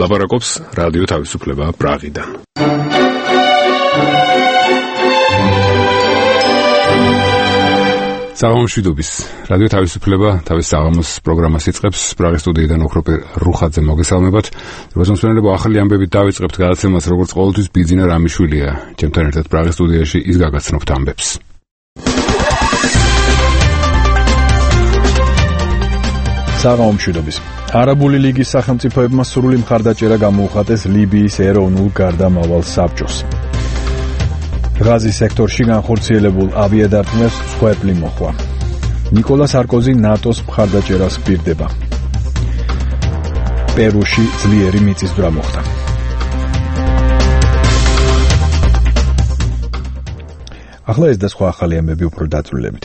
ლაპარაკობს რადიო თავისუფლება პრაღიდან. საღამომშვიდობის რადიო თავისუფლება თავის საღამოს პროგრამას იწყებს. პრაღის სტუდიიდან ოქროპირ რუხაძე მოგესალმებათ. როზომსვენელებო, ახალი ამბებით დავიწყებთ გადაცემას, როგორც ყოველთვის ბიძინა რამიშვილია. ჩემთან ერთად პრაღის სტუდიაში ის გაგაცნობთ ამბებს. საღამომშვიდობის. არაბული ლიგის სახელმწიფოებმა სრული მხარდაჭერა გამოუხატეს ლიბიის ეროვნულ გარდამავალ საბჭოს. ღაზის სექტორში განხორციელებულ ავიადარტყმებს მსხვერპლი მოხვა. ნიკოლა სარკოზი ნატოს მხარდაჭერას პირდება. პერუში ძლიერი მიწისძვრა მოხდა. ახლა ეს და სხვა ახალი ამბები უფრო დაწვრილებით.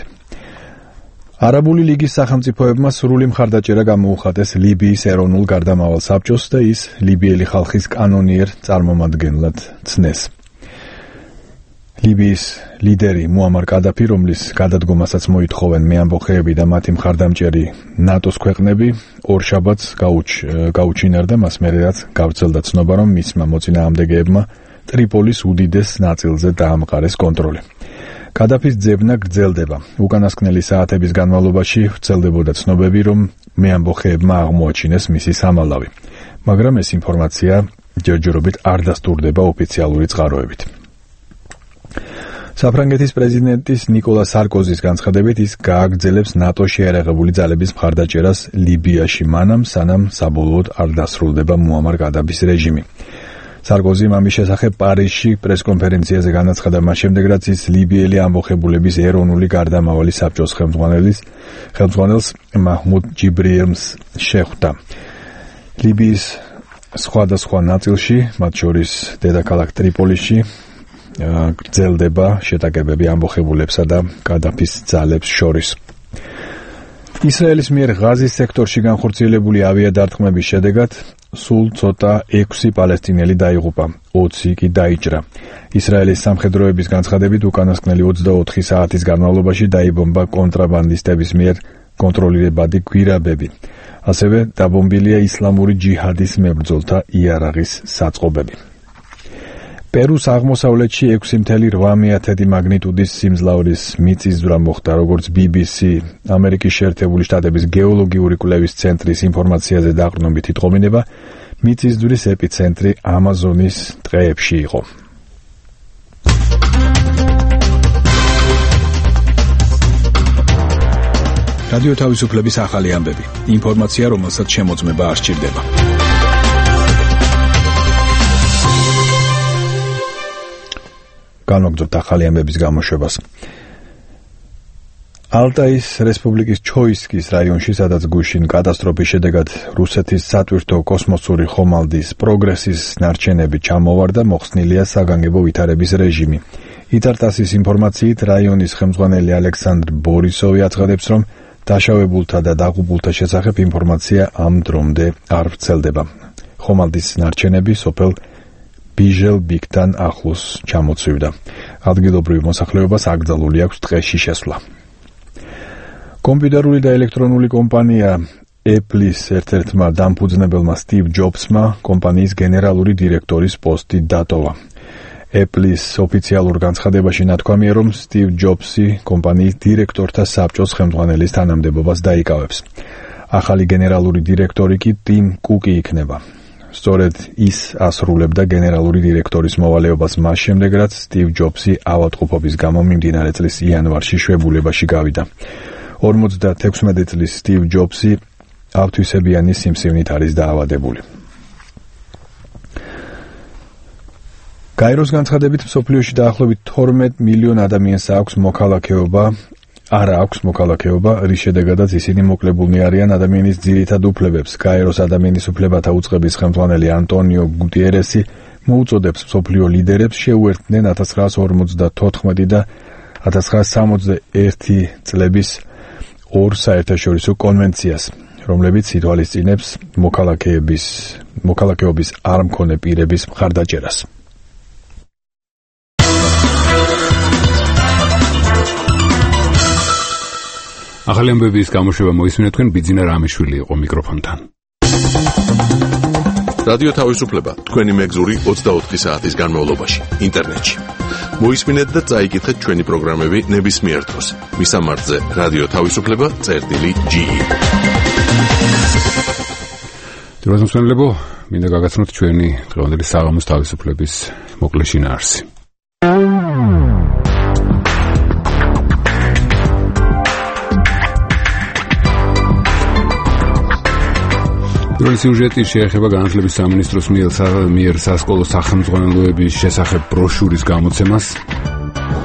არაბული ლიგის სახელმწიფოებმა სრული მხარდაჭერა გამოუხატეს ლიბიის ეროვნულ გარდამავალ საბჭოს და ის ლიბიელი ხალხის კანონიერ წარმომადგენლად ცნეს. ლიბიის ლიდერი მუამარ კადაფი, რომლის გადადგომასაც მოითხოვენ მეამბოხეები და მათი მხარდამჭერი ნატოს ქვეყნები, ორშაბათს გაუჩინარდა, მას მერეაც გავრცელდა ცნობა, რომ მისმა მოწინააღმდეგეებმა ტრიპოლის უდიდეს ნაწილზე დაამყარეს კონტროლი. კადაფის ძებნა გრძელდება. უკანასკნელი საათების განმავლობაში ვრცელდებოდა ცნობები, რომ მეამბოხეებმა აღმოაჩინეს მისი სამალავი, მაგრამ ეს ინფორმაცია ჯერჯერობით არ დასტურდება ოფიციალური წყაროებით. საფრანგეთის პრეზიდენტის ნიკოლა სარკოზის განცხადებით, ის გააგრძელებს ნატოს შეერაღებული ძალების მხარდაჭერას ლიბიაში მანამ, სანამ საბოლოოდ არ დასრულდება მუამარ კადაფის რეჟიმი. სარკოზიმ ამის შესახებ პარიზში პრესკონფერენციაზე განაცხადა მას შემდეგ, რაც ის ლიბიელი ამბოხებულების ეროვნული გარდამავალი საბჭოს ხელმძღვანელს მაჰმუდ ჯიბრიელს შეხვდა. ლიბიის სხვადასხვა ნაწილში, მათ შორის დედაქალაქ ტრიპოლიში, გრძელდება შეტაკებები ამბოხებულებსა და კადაფის ძალებს შორის. ისრაელის მიერ ღაზის სექტორში განხორციელებული ავიადარტყმების შედეგად სულ ცოტა 6 პალესტინელი დაიღუპა, 20 კი დაიჭრა. ისრაელის სამხედროების განცხადებით, უკანასკნელი 24 საათის განმავლობაში დაიბომბა კონტრაბანდისტების მიერ კონტროლირებადი გვირაბები. ასევე დაბომბილია ისლამური ჯიჰადის მებრძოლთა იარაღის საწყობები. პერუს აღმოსავლეთში 6.8 მაგნიტუდის სიმძლავრის მიწისძვრა მოხდა, როგორც BBC, ამერიკის შეერთებული შტატების გეოლოგიური კვლევის ცენტრის ინფორმაციაზე დაყრდნობით იტყობინება, მიწისძვრის ეპიცენტრი ამაზონის ტყეებში იყო. რადიო თავისუფლების ახალი ამბები. ინფორმაცია, რომელსაც შემოწმება არ სჭირდება. განვაგრძობთ ახალი ამბების გამოშვებას. ალტაის რესპუბლიკის ჩოისკის რაიონში, სადაც გუშინ კატასტროფის შედეგად რუსეთის სატვირთო კოსმოსური ხომალდის პროგრესის ნარჩენები ჩამოვარდა, მოხსნილია საგანგებო ვითარების რეჟიმი. იტარტასის ინფორმაციით, რაიონის ხელმძღვანელი ალექსანდრ ბორისოვი აცხადებს, რომ დაშავებულთა და დაღუპულთა შესახებ ინფორმაცია ამ დრომდე არ ვრცელდება. ხომალდის ნარჩენები სოფელ ბიჟელ-ბიგთან ახლოს ჩამოცვივდა. ადგილობრივ მოსახლეობას აკრძალული აქვს ტყეში შესვლა. კომპიუტერული და ელექტრონული კომპანია Apple-ის ერთ-ერთმა დამფუძნებელმა სტივ ჯობსმა კომპანიის გენერალური დირექტორის პოსტი დატოვა. Apple-ის ოფიციალურ განცხადებაში ნათქვამია, რომ სტივ ჯობსი კომპანიის დირექტორთა საბჭოს ხელმძღვანელის თანამდებობას დაიკავებს. ახალი გენერალური დირექტორი კი ტიმ კუკი იქნება. სწორედ ის ასრულებდა გენერალური დირექტორის მოვალეობას მას შემდეგ, რაც სტივ ჯობსი ავადმყოფობის გამო მიმდინარე წლის იანვარში შვებულებაში გავიდა. 56 წლის სტივ ჯობსი ავთვისებიანი სიმსივნით არის დაავადებული. გაეროს განცხადებით, მსოფლიოში დაახლოებით 12 მილიონ ადამიანს აქვს მოქალაქეობა, რის შედეგადაც ისინი მოკლებულნი არიან ადამიანის ძირითად უფლებებს. გაეროს ადამიანის უფლებათა უწყების ხელმძღვანელი ანტონიო გუტიერესი მოუწოდებს მსოფლიო ლიდერებს შეუერთდნენ 1954 და 1961 წლების ორ საერთაშორისო კონვენციას, რომლებიც ითვალისწინებს მოქალაქეობის არ მქონე პირების მხარდაჭერას. ახალი ამბების გამოშვება მოისმინეთ თქვენ ბიძინა რამიშვილი იყო მიკროფონთან. რადიო თავისუფლება თქვენი მეგზური 24 საათის განმავლობაში ინტერნეტში. მოისმინეთ და წაიკითხეთ ჩვენი პროგრამები ნებისმიერ დროს. მისამართზე რადიო თავისუფლება.ge. დროშმენლებო, მინდა გაგაცნოთ ჩვენი დღევანდელი საღამოს თავისუფლების მოკლე შინაარსი. პირველი სიუჟეტი შეეხება განათლების სამინისტროს მიერ სასკოლო სახელმძღვანელოების შესახებ ბროშურის გამოცემას.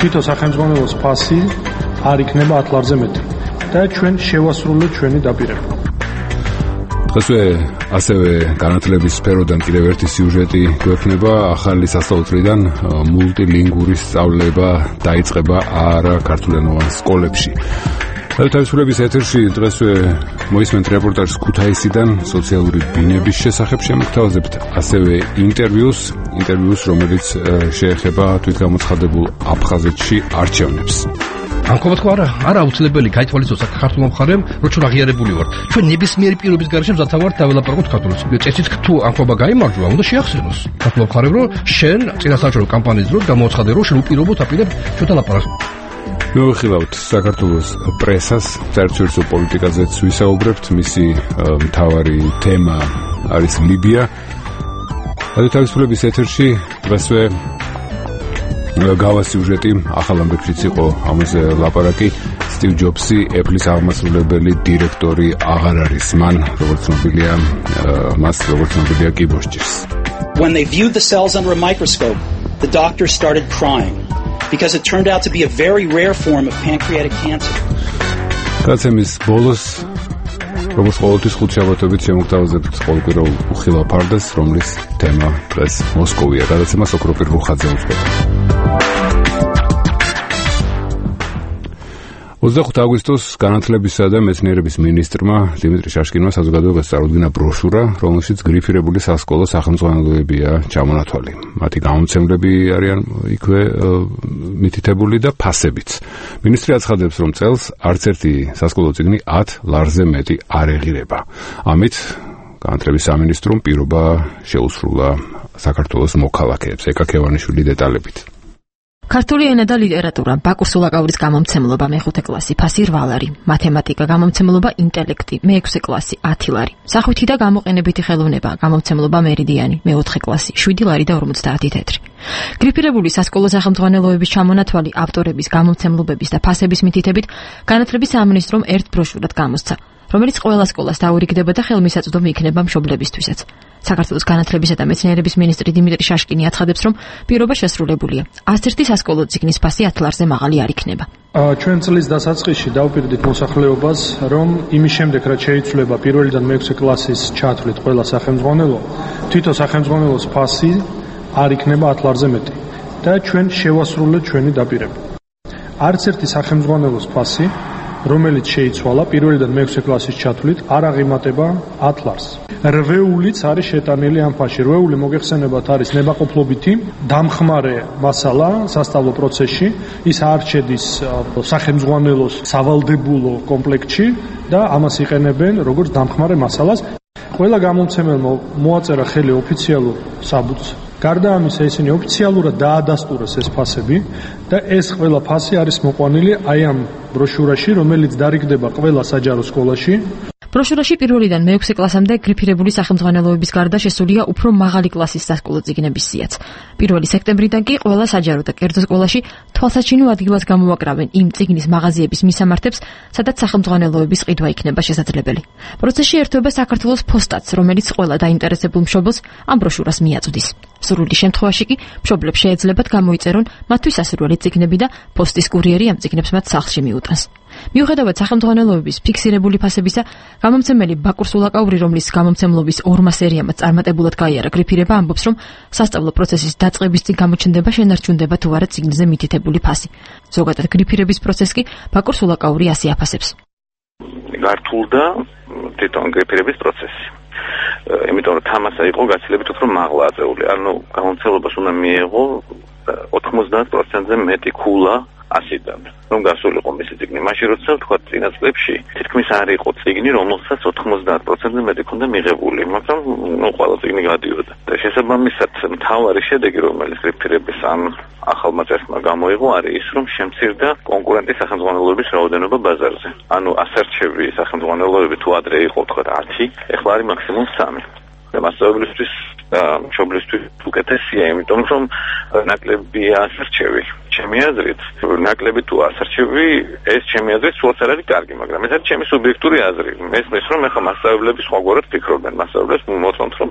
თითო სახელმძღვანელოს ფასი არ იქნება 10 ლარზე მეტი და ჩვენ შევასრულოთ ჩვენი დაპირება. დღესვე ასევე განათლების სფეროდან კიდევ ერთი სიუჟეტი გვექნება. ახალი სასწავლო წლიდან მულტილინგური სწავლება დაიწყება არაქართულენოვან სკოლებში. თავისუფლების ეთერში დღესვე მოისმენთ რეპორტაჟს ქუთაისიდან სოციალური ბინების შესახებ შემოგთავაზებთ, ასევე ინტერვიუს, რომელიც შეეხება თვითგამოცხადებულ აფხაზეთში არჩევნებს. ამქობთ ხო არა აუცილებელი გაითვალისწინოს საქართველოს მხარემ, რომ აღიარებული ვართ. ჩვენ ნებისმიერი პირობის გარშემო მზათა ვართ დაველაპარაკოთ ქართულს. წესით თუ ამქობა გაიმარჯვა, უნდა შეახსენოს საქართველოს მხარემ, რომ შენ წინასაარჩევნო კამპანიის დროს გამოაცხადე, რომ შენ უპირობოდ აპირებ ჩვენთან ლაპარაკს. მოვიხილავთ საქართველოს პრესას, საერთაშორისო პოლიტიკაზეც ვისაუბრებთ. მისი მთავარი თემა არის ლიბია. რადიო თავისუფლების ეთერში დღესვე გავა სიუჟეტი, ახალ ამბებშიც იყო ამაზე ლაპარაკი. სტივ ჯობსი, Apple-ის აღმასრულებელი დირექტორი აღარ არის. მას როგორც ცნობილია კიბორდს ჭირს. When they viewed the cells under a microscope, the doctor started crying. Because it turned out to be a very rare form of pancreatic cancer. გაცემის ბოლოს, როგორც ყოველთვის ხუთი შაბათობით შემოგთავაზებთ ყოველკვირეულ უხილავ ფარდას, რომლის თემა დღეს მოსკოვია. გადაცემას ოქროპირ რუხაძე უძღვება. 25 აგვისტოს განათლებისა და მეცნიერების მინისტრმა დიმიტრი შაშკინმა საზოგადოებას წარუდგინა ბროშურა, რომელშიც გრიფირებული სასკოლო სახელმძღვანელოებია ჩამონათვალი. მათი გამომცემლები არიან იქვე მითითებული და ფასებიც. მინისტრი აცხადებს, რომ წელს არც ერთი სასკოლო წიგნი 10 ლარზე მეტი არ ეღირება. ამით განათლების სამინისტრომ პირობა შეუსრულა საქართველოს მოქალაქეებს. ეკა ქევანიშვილი დეტალებით. ქართული ენა და ლიტერატურა, ბაკურ სულაკაურის გამომცემლობა მე-5 კლასი, ფასი 8 ლარი, მათემატიკა, გამომცემლობა ინტელექტი, მე-6 კლასი, 10 ლარი, სახვითი და გამოყენებითი ხელოვნება, გამომცემლობა მერიდიანი, მე-4 კლასი, 7 ლარი და 50 თეთრი. გრიფირებული სასკოლო სახელმძღვანელოების ჩამონათვალი ავტორების, გამომცემლობების და ფასების მითითებით განათლების სამინისტრომ ერთ ბროშურად გამოსცა, რომელიც ყველა სკოლას დაურიგდება და ხელმისაწვდომი იქნება მშობლებისთვისაც. საქართველოს განათლებისა და მეცნიერების მინისტრი დიმიტრი შაშკინი აცხადებს, რომ პირობა შესრულებულია. 101 სასკოლო წიგნის ფასი 10 ლარზე მაღალი არ იქნება. ჩვენ წლის დასაწყისში დავუპირდით მოსახლეობას, რომ იმის შემდეგ, რაც შეიცვლება პირველიდან მე-6 კლასის ჩათვლით ყველა სახელმძღვანელო, თვითონ სახელმძღვანელოს ფასი არ იქნება 10 ლარზე მეტი და ჩვენ შევასრულოთ ჩვენი დაპირება. არც ერთი სახელმძღვანელოს ფასი, რომელიც შეიცვალა პირველიდან მე-6 კლასის ჩათვლით, არ აღიმატება 10 ლარს. რვეულიც არის შეტანილი ამ ფასში. რვეული მოგეხსენებათ არის ნებაყოფლობითი დამხმარე მასალა სასწავლო პროცესში. ის არ შედის სახელმძღვანელოს სავალდებულო კომპლექტში და ამას იყენებენ როგორც დამხმარე მასალას. ყველა გამომცემელმა მოაწერა ხელი ოფიციალურ საბუთს. გარდა ამისა, ისინი ოფიციალურად დაადასტურეს ეს ფასები და ეს ყველა ფასი არის მოყვანილი აი ამ ბროშურაში, რომელიც დარიგდება ყველა საჯარო სკოლაში. ბროშურაში პირველიდან მე-6 კლასამდე გრიფირებული სახელმძღვანელოების გარდა შესულია უფრო მაღალი კლასის სასკოლო წიგნების სიაც. 1 სექტემბრიდან კი ყველა საჯარო და კერძო სკოლაში თვალსაჩინო ადგილას გამოვაკრავენ იმ წიგნის მაღაზიების მისამართებს, სადაც სახელმძღვანელოების ყიდვა იქნება შესაძლებელი. პროცესში ერთვება საქართველოს ფოსტაც, რომელიც ყველა დაინტერესებულ მშობელს ამ ბროშურას მიაწვდის. სრული შემთხვევაში კი მშობლებს შეეძლებათ გამოიწერონ მათთვის სასურველი წიგნები და პოსტის კურიერი ამ წიგნებს მათ სახლში მიუტანს. მიუხედავად სახელმძღვანელოების ფიქსირებული ფასებისა, გამომცემელი ბაკურ სულაკაური, რომლის გამომცემლობის 2 სერიამაც წარმატებულად გაიარა გრიფირება, ამბობს, რომ სასწავლო პროცესის დაწყების წინ გამოჩნდება შენარჩუნდება თუ არა წიგნზე მითითებული ფასი. ზოგადად გრიფირების პროცესს კი ბაკურ სულაკაური ასე აფასებს. გართულდა თვითონ გრიფირების პროცესი. იმიტომ რომ თამასა იყო გაცილებით უფრო მაღლა აწეული. ანუ გამომცემლობას უნდა მიეღო 90%-ზე მეტი ქულა 100-დან. რომ გასულიყო მისი წიგნი, მაშინ როცა თქვა წინა წლებში თითქმის არ იყო წიგნი, რომელსაც 90%-ზე მეტი ქონდა მიღებული, მაგრამ ყველა წიგნი გადიოდა. და შესაბამისად, მთავარი შედეგი, რომელიც გრიფირების ამ ახალმა წესმა გამოიღო, არის ის, რომ შემცირდა კონკურენტის სახელმძღვანელოების რაოდენობა ბაზარზე. ანუ ასარჩევი სახელმძღვანელოები თუ ადრე იყო თქვა 10, ეხლა არის მაქსიმუმ 3. და მასწავლებლისთვის მშობლისთვის უკეთესია, იმიტომ რომ ნაკლებია ასარჩევი. ჩემი აზრით, ნაკლები თუ ასარჩევი, ეს ჩემი აზრით სულაც არ არის კარგი, მაგრამ ეს არის ჩემი სუბიექტური აზრი. მესმის რომ ეხლა მასწავლებლები სხვაგვარად ფიქრობენ, მასწავლებლებს მოწონთ რომ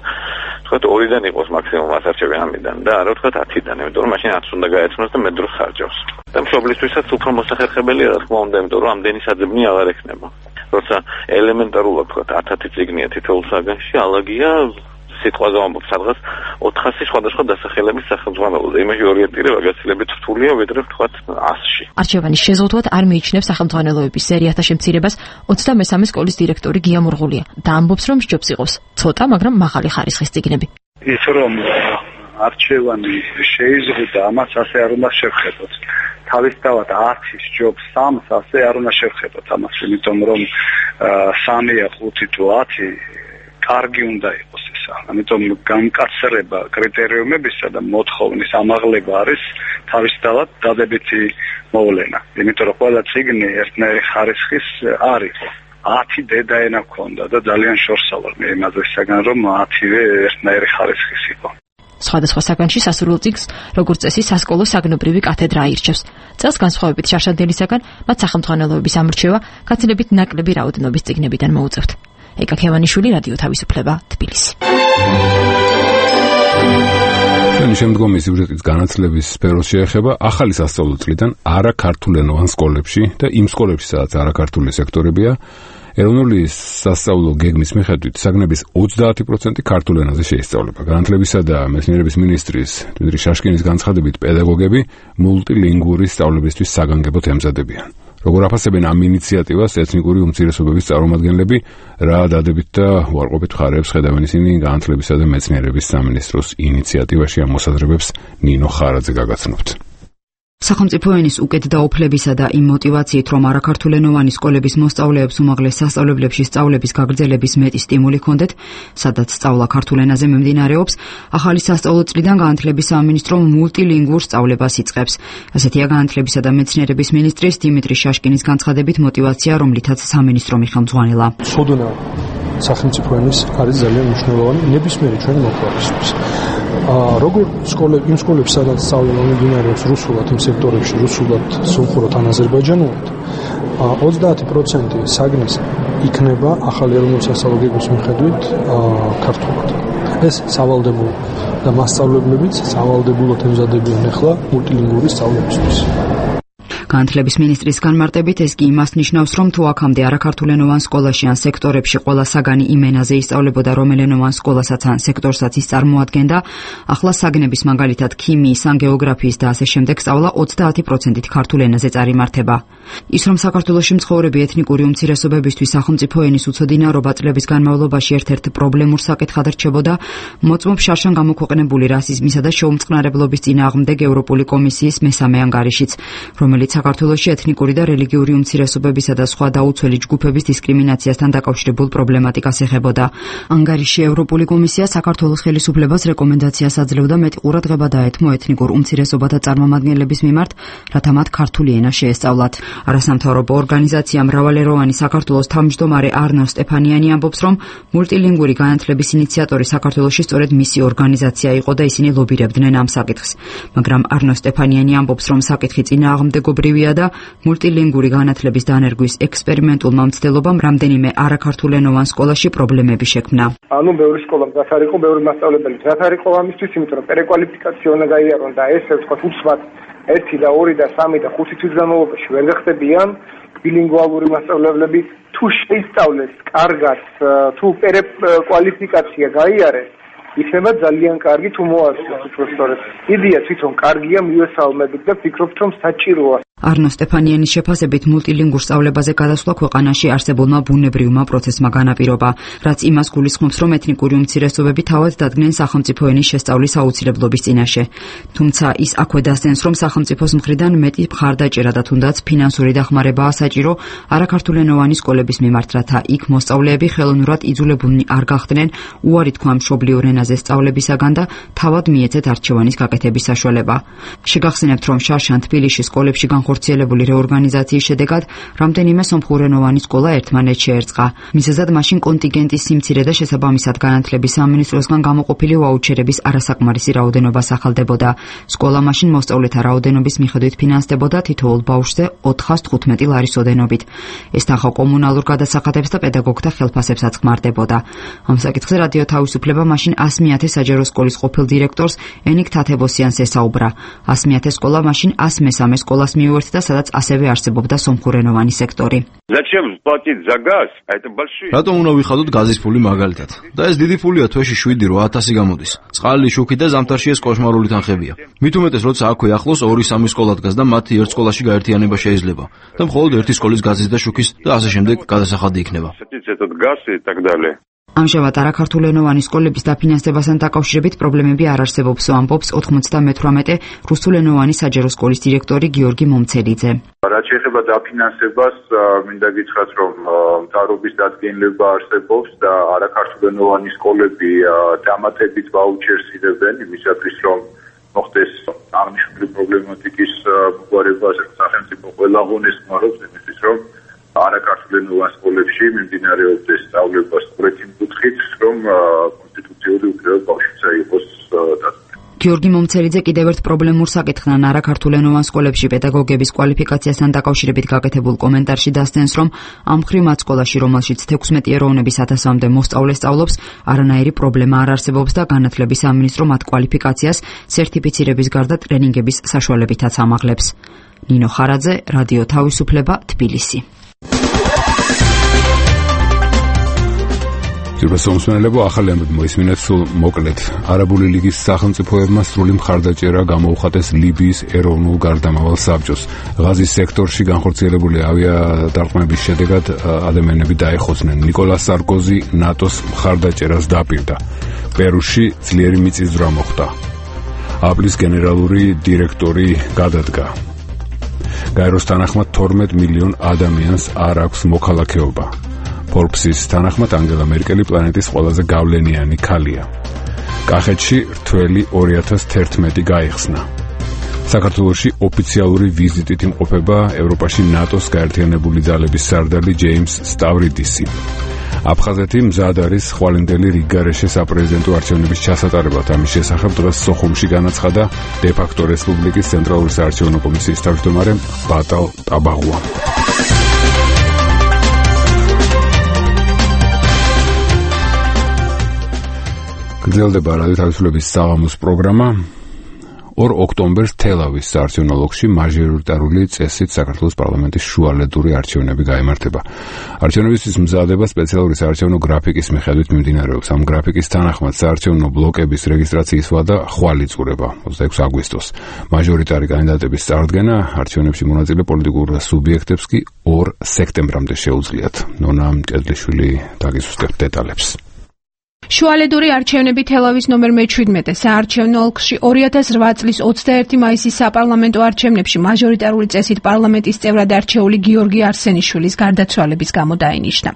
თქვათ 2-დან იყოს მაქსიმუმ ასარჩევი ამიდან და არა თქვათ 10-დან, იმიტომ რომ მაშინ 10 უნდა გაეცნოს და მეტ დროს ხარჯავს. და მშობლისთვისაც უფრო მოსახერხებელია, რა თქმა უნდა, იმიტომ რომ ამდენი საძებნი აღარ ექნება. როცა ელემენტარულად თქვათ 10 წიგნია თითოეულ საგანში, ალაგია სიტყვაზე ვამბობ სადღაც 400 სხვადასხვა დასახელების სახელმძღვანელოზე. იმაში ორიენტირება გაცილებით რთულია, ვიდრე ვთქვათ 100-ში. არჩევანის შეზღუდვად არ მიიჩნევს სახელმძღვანელოების სერიათა შემცირებას 23 სკოლის დირექტორი გია მურღულია და ამბობს, რომ სჯობს იყოს ცოტა, მაგრამ მაღალი ხარისხის წიგნები. ის რომ არჩევანი შეიზღუდა, ამას ასე არ უნდა შევხედოთ. თავისთავად 10-ის სჯობს 3-ს ასე არ უნდა შევხედოთ ამას, იმიტომ რომ 3-ია 5 თუ 10 კარგი უნდა იყოს ესა. ამიტომ გამკაცრება კრიტერიუმებისა და მოთხოვნის ამაღლება არის თავისთავად დადებითი მოვლენა. იმიტომ რომ ყველა წიგნი ერთნაირი ხარისხის არ იყო. 10 დედაენა ჰქონდა და ძალიან შორსავარ მე იმაზე საგან რომ 10-ვე ერთნაირი ხარისხის იყო. სხვადასხვა საგანში სასურველ წიგნს, როგორც წესი, სასკოლო საგნობრივი კათედრა აირჩევს. წელს განსხვავებით შარშანდელისაგან, მათ სახელმძღვანელოების ამრჩევა გაცილებით ნაკლები რაოდენობის წიგნებიდან მოუწევთ. ეკა ქევანიშვილი, რადიო თავისუფლება, თბილისი. ჩვენი შემდგომი სიუჟეტის განათლების სფეროს შეეხება ახალი სასწავლო წლიდან არაქართულენოვან სკოლებში და იმ სკოლებში, სადაც არაქართული სექტორებია, ეროვნული სასწავლო გეგმის მიხედვით საგნების 30% ქართულ ენაზე შეისწავლება. განათლებისა და მეცნიერების მინისტრის დმიტრი შაშკინის განცხადებით, პედაგოგები მულტილინგური სწავლებისთვის საგანგებოდ ემზადებიან. როგორ აფასებენ ამ ინიციატივას ეთნიკური უმცირესობების წარმომადგენლები, რა დადებით და უარყოფით მხარეებს ხედავენ ისინი განათლებისა და მეცნიერების სამინისტროს ინიციატივაში ამ მოსაზრებებს ნინო ხარაძე გაგაცნობთ. სახელმწიფო ენის უკეთ დაუფლებისა და იმ მოტივაციით, რომ არაქართულენოვანი სკოლების მოსწავლეებს უმაღლეს სასწავლებლებში სწავლების გაგრძელების მეტი სტიმული ჰქონდეთ, სადაც სწავლა ქართულ ენაზე მიმდინარეობს, ახალი სასწავლო წლიდან განათლების სამინისტრო მულტილინგურ სწავლებას იწყებს. ასეთია განათლებისა და მეცნიერების მინისტრის დიმიტრი შაშკინის განცხადებით მოტივაცია, რომლითაც სამინისტრო მიხელმძღვანელა. ცოდნა სახელმწიფო ენის არის ძალიან მნიშვნელოვანი ნებისმიერი ჩვენი მოქალაქისთვის. როგორ იმ სკოლებში, სადაც სწავლა მიმდინარეობს რუსულად, იმ სექტორებში რუსულად, სომხურად ან აზერბაიჯანულად, 30% საგნის იქნება ახალი ეროვნული სასწავლო გეგმის მიხედვით ქართულად. ეს სავალდებულო და მასწავლებლებიც სავალდებულოდ ემზადებიან ახლა მულტილინგური სწავლებისთვის. განათლების მინისტრის განმარტებით ეს კი იმას ნიშნავს, რომ თუ აქამდე არაქართულენოვან სკოლაში ან სექტორებში ყველა საგანი იმ ენაზე ისწავლებოდა, რომელენოვან სკოლასაც ან სექტორსაც ის წარმოადგენდა, ახლა საგნების მაგალითად ქიმიის ან გეოგრაფიის და ასე შემდეგ სწავლა 30%-ით ქართულ ენაზე წარიმართება. ის რომ საქართველოში მცხოვრები ეთნიკური უმცირესობებისთვის სახელმწიფო ენის უცოდინარობა წლების განმავლობაში ერთ-ერთ პრობლემურ საკითხად რჩებოდა, მოწმობს შარშან გამოქვეყნებული რასიზმისა და შეუმწყნარებლობის წინააღმდეგ ევროპული კომისიის მესამე ანგარიშიც, რომელიც საქართველოში ეთნიკური და რელიგიური უმცირესობებისა და სხვა დაუცველი ჯგუფების დისკრიმინაციასთან დაკავშირებულ პრობლემატიკას ეხებოდა. ანგარიში ევროპული კომისია საქართველოს ხელისუფლებას რეკომენდაციას აძლევდა მეტი ყურადღება დაეთმო ეთნიკურ უმცირესობათა წარმომადგენლების მიმართ, რათა მათ ქართული ენა შეესწავლათ. არასამთავრობო ორგანიზაცია მრავალეროვანი საქართველოს თავმჯდომარე არნო სტეფანიანი ამბობს, რომ მულტილინგური განათლების ინიციატორი საქართველოში სწორედ მისი ორგანიზაცია იყო და ისინი ლობირებდნენ ამ საკითხს. მაგრამ არნო სტეფანიანი ამბობს, რომ საკითხი წინააღმდეგობრივია და მულტილინგური განათლების დანერგვის ექსპერიმენტულმა მცდელობამ რამდენიმე არაქართულენოვან სკოლაში პრობლემები შექმნა. ანუ ბევრი სკოლა მზად არ იყო, ბევრი მასწავლებელი მზად არ იყო ამისთვის, იმიტომ რომ პერეკვალიფიკაცია უნდა გაიარონ და ეს ვთქვათ უცბად 1 და 2 და 3 და 5 თვის განმავლობაში ვერ გახდებიან ბილინგვალური მასწავლებლები. თუ შეისწავლეს კარგად, თუ პერეკვალიფიკაცია გაიარეს, იქნება ძალიან კარგი თუ მოასწავლოს უბრალოდ. იდეა თვითონ კარგია, მივესალმებით და ვფიქრობთ, რომ საჭიროა. არნო სტეფანიანის შეფასებით მულტილინგურ სწავლებაზე გადასვლა ქვეყანაში არსებულმა ბუნებრივმა პროცესმა განაპირობა, რაც იმას გულისხმობს, რომ ეთნიკური უმცირესობები თავად დადგნენ სახელმწიფო ენის შესწავლის აუცილებლობის წინაშე. თუმცა ის აქვე დასდენს, რომ სახელმწიფოს მხრიდან მეტი მხარდაჭერა და თუნდაც ფინანსური დახმარებაა საჭირო არაქართულენოვანი სკოლების მიმართ, რათა იქ მოსწავლეები ხელოვნურად იძულებულნი არ გახდნენ უარი თქვა მშობლიურ ენაზე სწავლებისაგან და თავად მიეცეთ არჩევანის გაკეთების საშუალება. შეგახსენებთ, რომ შარშან თბილისში სკოლებში განხორციელებული რეორგანიზაციის შედეგად რამდენიმე სომხურენოვანი სკოლა ერთმანეთს შეერწყა. მიზეზად მაშინ კონტინგენტის სიმცირე და შესაბამისად განათლების სამინისტროსგან გამოყოფილი ვაუჩერების არასაკმარისი რაოდენობა სახელდებოდა. სკოლა მაშინ მოსწავლეთა რაოდენობის მიხედვით ფინანსდებოდა თითოეულ ბავშვზე 415 ლარის ოდენობით. ეს თანხა კომუნალურ გადასახადებს და პედაგოგთა ხელფასებსაც ხმარდებოდა. ამ საკითხზე რადიო თავისუფლება მაშინ 100.000 საჯარო სკოლის ყოფილ დირექტორს ენიკ თათებოსიანს ესაუბრა. 100.000 სკოლა მაშინ 113 სკოლას მიუერთდა, სადაც ასევე არსებობდა სომხურენოვანი სექტორი. რატომ უნდა ვიხადოთ გაზის ფული მაგალითად? და ეს დიდი ფულია, თვეში 7-8 გამოდის. წყალი, შუქი და ზამთარში ეს კოშმარული თანხებია. მით უმეტეს, როცა აქვე ახლოს 2-3 სკოლა დგას და მათი ერთ სკოლაში გაერთიანება შეიძლება და მხოლოდ ერთი სკოლის გაზის და შუქის და ასე შემდეგ გადასახადი იქნება. ამჟამად არაქართულენოვანი სკოლების დაფინანსებასთან დაკავშირებით პრობლემები არ არსებობს, ამბობს 98 რუსულენოვანი საჯარო სკოლის დირექტორი გიორგი მომცელიძე. რაც შეეხება დაფინანსებას, მინდა გითხრათ, რომ მთავრობის დადგენილება არსებობს და არაქართულენოვანი სკოლები დამატებით ვაუჩერს იღებენ იმისათვის, რომ მოხდეს აღნიშნული პრობლემატიკის მოგვარება სახელმწიფო ყველა ღონეს ხმარობს იმისთვის, რომ არაქართულენოვან სკოლებში მიმდინარეობდეს სწავლება სწორედ იმ კუთხით, რომ კონსტიტუციური უფლება ბავშვებსა იყოს დაცული. გიორგი მომცელიძე კიდევ ერთ პრობლემურ საკითხთან არაქართულენოვან სკოლებში პედაგოგების კვალიფიკაციასთან დაკავშირებით გაკეთებულ კომენტარში დასდენს, რომ ამ მხრივ მათ სკოლაში, რომელშიც 16 ეროვნების 1000-მდე მოსწავლე სწავლობს, არანაირი პრობლემა არ არსებობს და განათლების სამინისტრო მათ კვალიფიკაციას სერტიფიცირების გარდა ტრენინგების საშუალებითაც ამაღლებს. ნინო ხარაძე, რადიო თავისუფლება, თბილისი. სომხურენელებო ახალი ამბები მოისმინეთ სულ მოკლედ. არაბული ლიგის სახელმწიფოებმა სრული მხარდაჭერა გამოუხატეს ლიბიის ეროვნულ გარდამავალ საბჭოს. ღაზის სექტორში განხორციელებული ავიადარყმების შედეგად ადამიანები დაეხოცნენ. ნიკოლას სარკოზი ნატოს მხარდაჭერას დაპირდა. პერუში ძლიერი მიწისძვრა მოხდა. აპლის გენერალური დირექტორი გადადგა. გაეროს თანახმად 12 მილიონ ადამიანს არ აქვს მოქალაქეობა. Forbes-ის თანახმად ანგელა მერკელი პლანეტის ყველაზე გავლენიანი ქალია. კახეთში რთველი 2011 გაიხსნა. საქართველოში ოფიციალური ვიზიტით იმყოფება ევროპაში ნატოს გაერთიანებული ძალების სარდალი ჯეიმს სტავრიდისი. აფხაზეთი მზად არის ხვალინდელი რიგგარეშე საპრეზიდენტო არჩევნების ჩასატარებლად. ამის შესახებ დღეს სოხუმში განაცხადა დე-ფაქტო რესპუბლიკის ცენტრალური საარჩევნო კომისიის თავმჯდომარე ბატალ ტაბაღუა. გრძელდება რადიო თავისუფლების საღამოს პროგრამა. 2 ოქტომბერს თელავის საარჩევნო ოლქში მაჟორიტარული წესით საქართველოს პარლამენტის შუალედური არჩევნები გაიმართება. არჩევნებისთვის მზადება სპეციალური საარჩევნო გრაფიკის მიხედვით მიმდინარეობს. ამ გრაფიკის თანახმად საარჩევნო ბლოკების რეგისტრაციის ვადა ხვალ იწურება 26 აგვისტოს. მაჟორიტარი კანდიდატების წარდგენა არჩევნებში მონაწილე პოლიტიკურ სუბიექტებს კი 2 სექტემბრამდე შეუძლიათ. ნონა მჭედლიშვილი დაგისუსტებთ დეტალებს. შუალედური არჩევნები თელავის ნომერ 17 საარჩევნო ოლქში 2008 წლის 21 მაისის საპარლამენტო არჩევნებში მაჟორიტარული წესით პარლამენტის წევრად არჩეული გიორგი არსენიშვილის გარდაცვალების გამო დაინიშნა.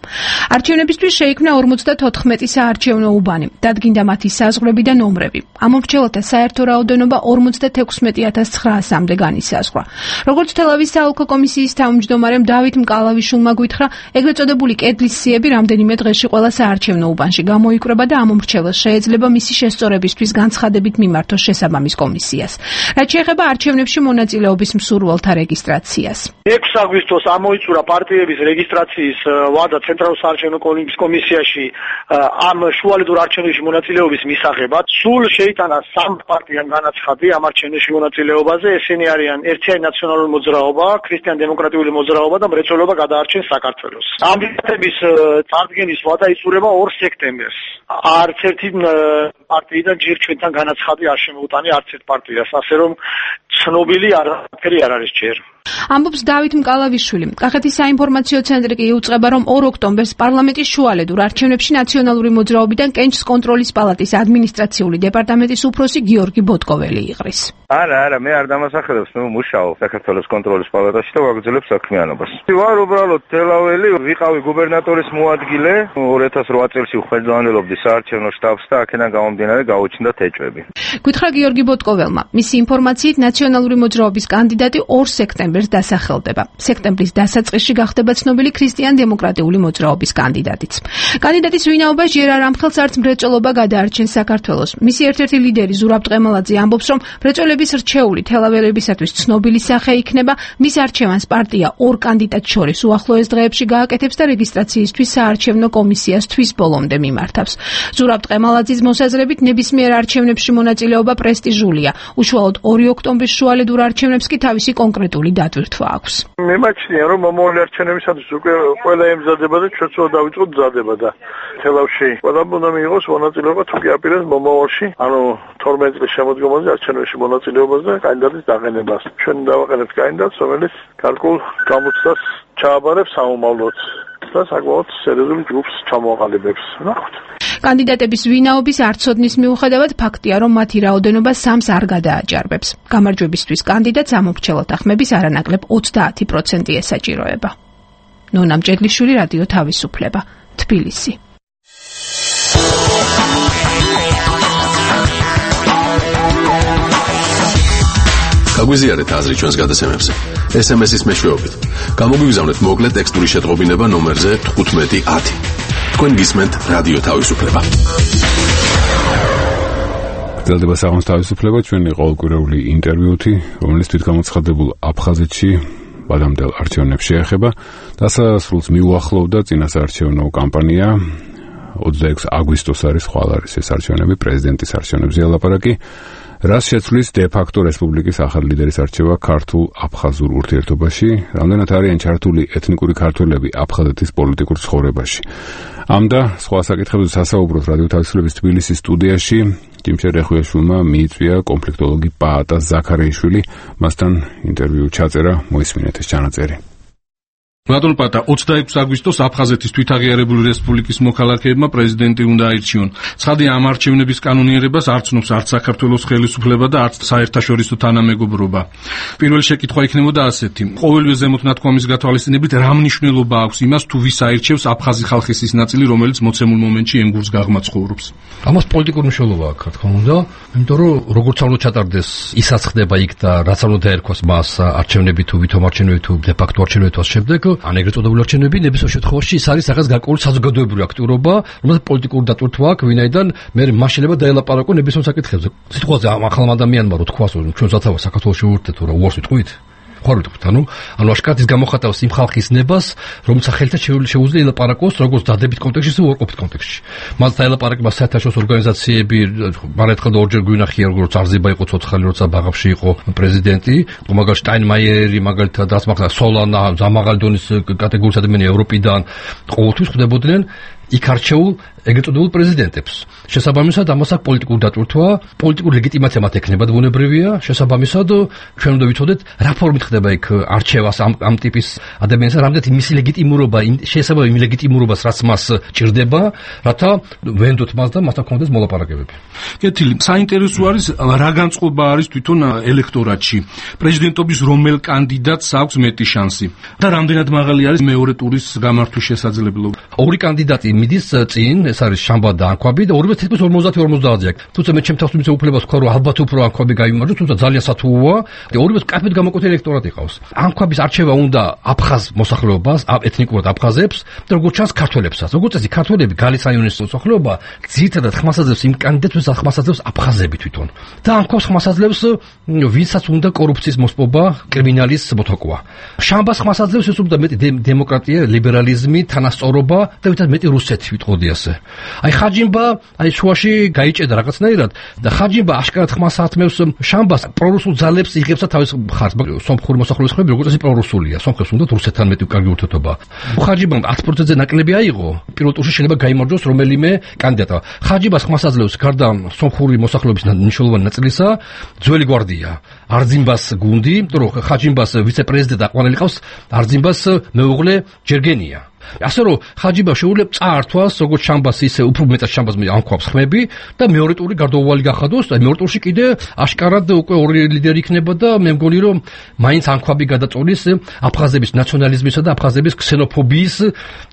არჩევნებისთვის შეიქმნა 54 საარჩევნო უბანი, დადგინდა მათი საზღვრები და ნომრები. ამომრჩეველთა საერთო რაოდენობა 56,900-მდე განისაზღვრა. როგორც თელავის საოლქო კომისიის თავმჯდომარემ დავით მკალავიშვილმა გვითხრა, ეგრეთ წოდებული კედლის სიები რამდენიმე დღეში ყველა საარჩევნო უბანში გამოიკვრება და ამომრჩეველს შეეძლება მისი შესწორებისთვის განცხადებით მიმართოს შესაბამის კომისიას. რაც შეეხება არჩევნებში მონაწილეობის მსურველთა რეგისტრაციას. 6 აგვისტოს ამოიწურა პარტიების რეგისტრაციის ვადა ცენტრალურ საარჩევნო კომისიაში ამ შუალედურ არჩევნებში მონაწილეობის მისაღებად. სულ შეიტანა 3 პარტიამ განაცხადი ამ არჩევნებში მონაწილეობაზე. ესენი არიან ერთიანი ნაციონალური მოძრაობა, ქრისტიან-დემოკრატიული მოძრაობა და მრეწველობა გადაარჩენს საქართველოს. ამ კანდიდატების წარდგენის ვადა იწურება 2 სექტემბერს. არც ერთი პარტიიდან ჯერ ჩვენთან განაცხადი არ შემოუტანია არც ერთ პარტიას, ასე რომ ცნობილი არაფერი არ არის ჯერ. ამბობს დავით მკალავიშვილი. კახეთის საინფორმაციო ცენტრი კი იუწყება, რომ 2 ოქტომბერს პარლამენტის შუალედურ არჩევნებში ნაციონალური მოძრაობიდან კენჭს კონტროლის პალატის ადმინისტრაციული დეპარტამენტის უფროსი გიორგი ბოტკოველი იყრის. არა, მე არ დამასახელებს, მე მუშაობ საქართველოს კონტროლის პალატაში და ვაგრძელებ საქმიანობას. ვარ უბრალოდ თელაველი, ვიყავი გუბერნატორის მოადგილე, 2008 წელს ვხელმძღვანელობდი საარჩევნო შტაბს და აქედან გამომდინარე გაუჩნდა ეჭვები. გითხრა გიორგი ბოტკოველმა, მისი ინფორმაციით ნაციონალური მოძრაობის კანდიდატი 2 სექტემბერს დასახელდება. სექტემბრის დასაწყისში გახდება ცნობილი ქრისტიან-დემოკრატიული მოძრაობის კანდიდატიც. კანდიდატის ვინაობას ჯერ არ ამხელს არც მრეწველობა გადაარჩენს საქართველოს. მისი ერთ-ერთი ლიდერი ზურაბ ტყემალაძე ამბობს, რომ მრეწველების რჩეული თელაველებისათვის ცნობილი სახე იქნება. მის არჩევანს პარტია 2 კანდიდატს შორის უახლოეს დღეებში გააკეთებს და რეგისტრაციისთვის საარჩევნო კომისიას თვის ბოლომდე მიმართავს. ზურაბ ტყემალაძის მოსაზრებით ნებისმიერ არჩევნებში მონაწილეობა პრესტიჟულია. უშუალოდ 2 ოქტომბრის შუალედურ არჩევნებს კი თავისი კონკრეტული დატვირთვა აქვს. მემაჩნია, რომ მომავალი არჩევნებისათვის უკვე ყველა ემზადება და ჩვენც უნდა დავიწყოთ მზადება და თელავში ყველა უნდა მიიღოს მონაწილეობა თუ კი აპირებს მომავალში, ანუ 12 წლის შემოდგომაზე არჩევნებში მონაწილეობას და კანდიდატის დაყენებას. ჩვენ დავაყენებთ კანდიდატს, რომელიც გარკვეულ გამოცდას ჩააბარებს სამომავლოდ და საკმაოდ სერიოზულ ჯგუფს ჩამოაყალიბებს. ნახოთ. კანდიდატების ვინაობის არცოდნის მიუხედავად ფაქტია, რომ მათი რაოდენობა 3-ს არ გადააჭარბებს. გამარჯვებისთვის კანდიდატს ამომრჩეველთა ხმების არანაკლებ 30% ესაჭიროება. ნონა მჭედლიშვილი, რადიო თავისუფლება, თბილისი. გაგვიზიარეთ აზრი ჩვენს გადაცემებზე. SMS-ის მეშვეობით. გამოგვიგზავნეთ მოკლე ტექსტური შეტყობინება ნომერზე 1510. თქვენ გისმენთ რადიო თავისუფლება. გრძელდება საღამოს თავისუფლება, ჩვენი ყოველკვირეული ინტერვიუთი, რომელიც თვითგამოცხადებულ აფხაზეთში ვადამდელ არჩევნებს შეეხება. დასასრულს მიუახლოვდა წინასაარჩევნო კამპანია. 26 აგვისტოს არის ხვალარის ეს არჩევნები, პრეზიდენტის არჩევნებზე ელაპარაკი. რას შეცვლის დე-ფაქტო რესპუბლიკის ახალი ლიდერის არჩევა ქართულ-აფხაზურ ურთიერთობაში, რამდენად არიან ჩართული ეთნიკური ქართველები აფხაზეთის პოლიტიკურ ცხოვრებაში. ამ და სხვა საკითხებზე სასაუბროთ რადიო თავისუფლების თბილისის სტუდიაში ჯიმშერ რეხუიაშვილმა მიიწვია კონფლიქტოლოგი პაატა ზაქარიაშვილი, მასთან ინტერვიუ ჩაწერა, მოისმინეთ ეს ჩანაწერი. ბატონ პატა, 26 აგვისტოს აფხაზეთის თვითაღიარებული რესპუბლიკის მოქალაქეებმა პრეზიდენტი უნდა აირჩიონ. ცხადია, ამ არჩევნების კანონიერებას არ ცნობს არც საქართველოს ხელისუფლება და არც საერთაშორისო თანამეგობრობა. პირველი შეკითხვა იქნებოდა ასეთი: ყოველივე ზემოთ ნათქვამის გათვალისწინებით რა მნიშვნელობა აქვს იმას, თუ ვის აირჩევს აფხაზი ხალხის ის ნაწილი, რომელიც მოცემულ მომენტში ენგურს გაღმა ცხოვრობს? ამას პოლიტიკური მნიშვნელობა აქვს, რა თქმა უნდა, იმიტომ რომ როგორც უნდა ჩატარდეს, ისაც ხდება იქ და რაც უნდა დაერქვას მას არჩევნები თუ ვითომ არჩევნები თუ დე-ფაქტო არჩევნები შემდეგ ან ეგრეთ წოდებული არჩევნები ნებისმიერ შემთხვევაში ის არის რაღაც გარკვეული საზოგადოებრივი აქტიურობა, რომელსაც პოლიტიკური დატვირთვა აქვს, ვინაიდან მე მაშ შეიძლება დაელაპარაკო ნებისმიერ საკითხებზე. სიტყვაზე ამ ახალ ადამიანმა რო თქვას, რომ ჩვენ სათავე საქართველოს შევურთეთ, რა უარს ვიტყვით? ხარ ვიტყვით, ანუ აშკარად ის გამოხატავს იმ ხალხის ნებას, რომელსაც ხელთა შეუძლია ელაპარაკოს როგორც დადებით კონტექსტში, ისე უარყოფით კონტექსტში. მას დაელაპარაკება საერთაშორისო ორგანიზაციები, მარაერთხელ და ორჯერ გვინახია, როგორც არზება იყო ცოცხალი, როცა ბაღავში იყო პრეზიდენტი, მაგალითად შტაინმაიერი, მაგალითად დასმახა სოლანა, ზამაღალი დონის კატეგორიის ადამიანები ევროპიდან ყოველთვის ხვდებოდნენ იქ არჩეულ ეგრეთ წოდებულ პრეზიდენტებს. შესაბამისად, ამას აქვს პოლიტიკური დატვირთვა, პოლიტიკური ლეგიტიმაცია მათ ექნება ბუნებრივია. შესაბამისად, ჩვენ უნდა ვიცოდეთ, რა ფორმით ხდება იქ არჩევას ამ ტიპის ადამიანს, რამდენად მისი ლეგიტიმურობა, შესაძლოა იმ ლეგიტიმურობას, რაც მას ჭირდება, რათა ვენდოთ მას და მასთან კონდეს მოლაპარაკებები. კეთილი, საინტერესო არის რა განწყობა არის თვითონ ელექტორატში. პრეზიდენტობის რომელ კანდიდატს აქვს მეტი შანსი და რამდენად მაღალი არის მეორე ტურის გამართვის შესაძლებლობა? ორი კანდიდატი მიდის წინ, ეს არის შამბა და ანქვაბი და ორივე თითქოს 50-50 აქვს. თუმცა მე ჩემ თავს მიცე უფლებას ვქვა, რომ ალბათ უფრო ანქვაბი გაიმარჯვოს, თუმცა ძალიან სათუოა და ორივე კაფედ გამოკვეთილი ელექტორატი ყავს. ანქვაბის არჩევა უნდა აფხაზ მოსახლეობას, ეთნიკურად აფხაზებს და როგორც ჩანს ქართველებსაც. როგორც წესი, ქართველები გალისიონის მოსახლეობა ძირითადად ხმას აძლევს იმ კანდიდატს, ხმას აძლევს აფხაზები თვითონ. და ანქვაბს ხმას აძლევს ვინცაც უნდა კორუფციის მოსპობა, კრიმინალის მოთოკვა. შამბას ხმას აძლევს ეს უნდა მეტი დემოკრატია, ლიბერალიზმი, თანასწორობა და ვინცაც მეტი რუსეთი ვიტყოდი ასე. აი ხაჯიმბა აი შუაში გაიჭედა რაღაცნაირად და ხაჯიმბა აშკარად ხმას ათმევს შამბას პრორუსულ ძალებს იღებსა თავის მხარს. სომხური მოსახლეობის ხმები როგორც წესი პრორუსულია. სომხებს უნდათ რუსეთთან მეტი კარგი ურთიერთობა. ხაჯიმბამ 10%-ზე ნაკლები აიღო. პირველ ტურში შეიძლება გაიმარჯვოს რომელიმე კანდიდატა. ხაჯიბას ხმას აძლევს გარდა სომხური მოსახლეობის მნიშვნელოვანი ნაწილისა ძველი გვარდია. არძიმბას გუნდი, რომ ხაჯიმბას ვიცე-პრეზიდენტი აყვანილიყავს არძიმბას მეუღლე ჯერგენია. ასე რომ ხაჯიბა შეუძლებს წაართვას როგორც შამბას ისე უფრო მეტად შამბას ამქვავს ხმები და მეორე ტური გარდაუვალი გახადოს და მეორე ტურში კიდე აშკარად უკვე ორი ლიდერი იქნება და მე მგონი რომ მაინც ამქვაბი გადაწოლის აფხაზების ნაციონალიზმისა და აფხაზების ქსენოფობიის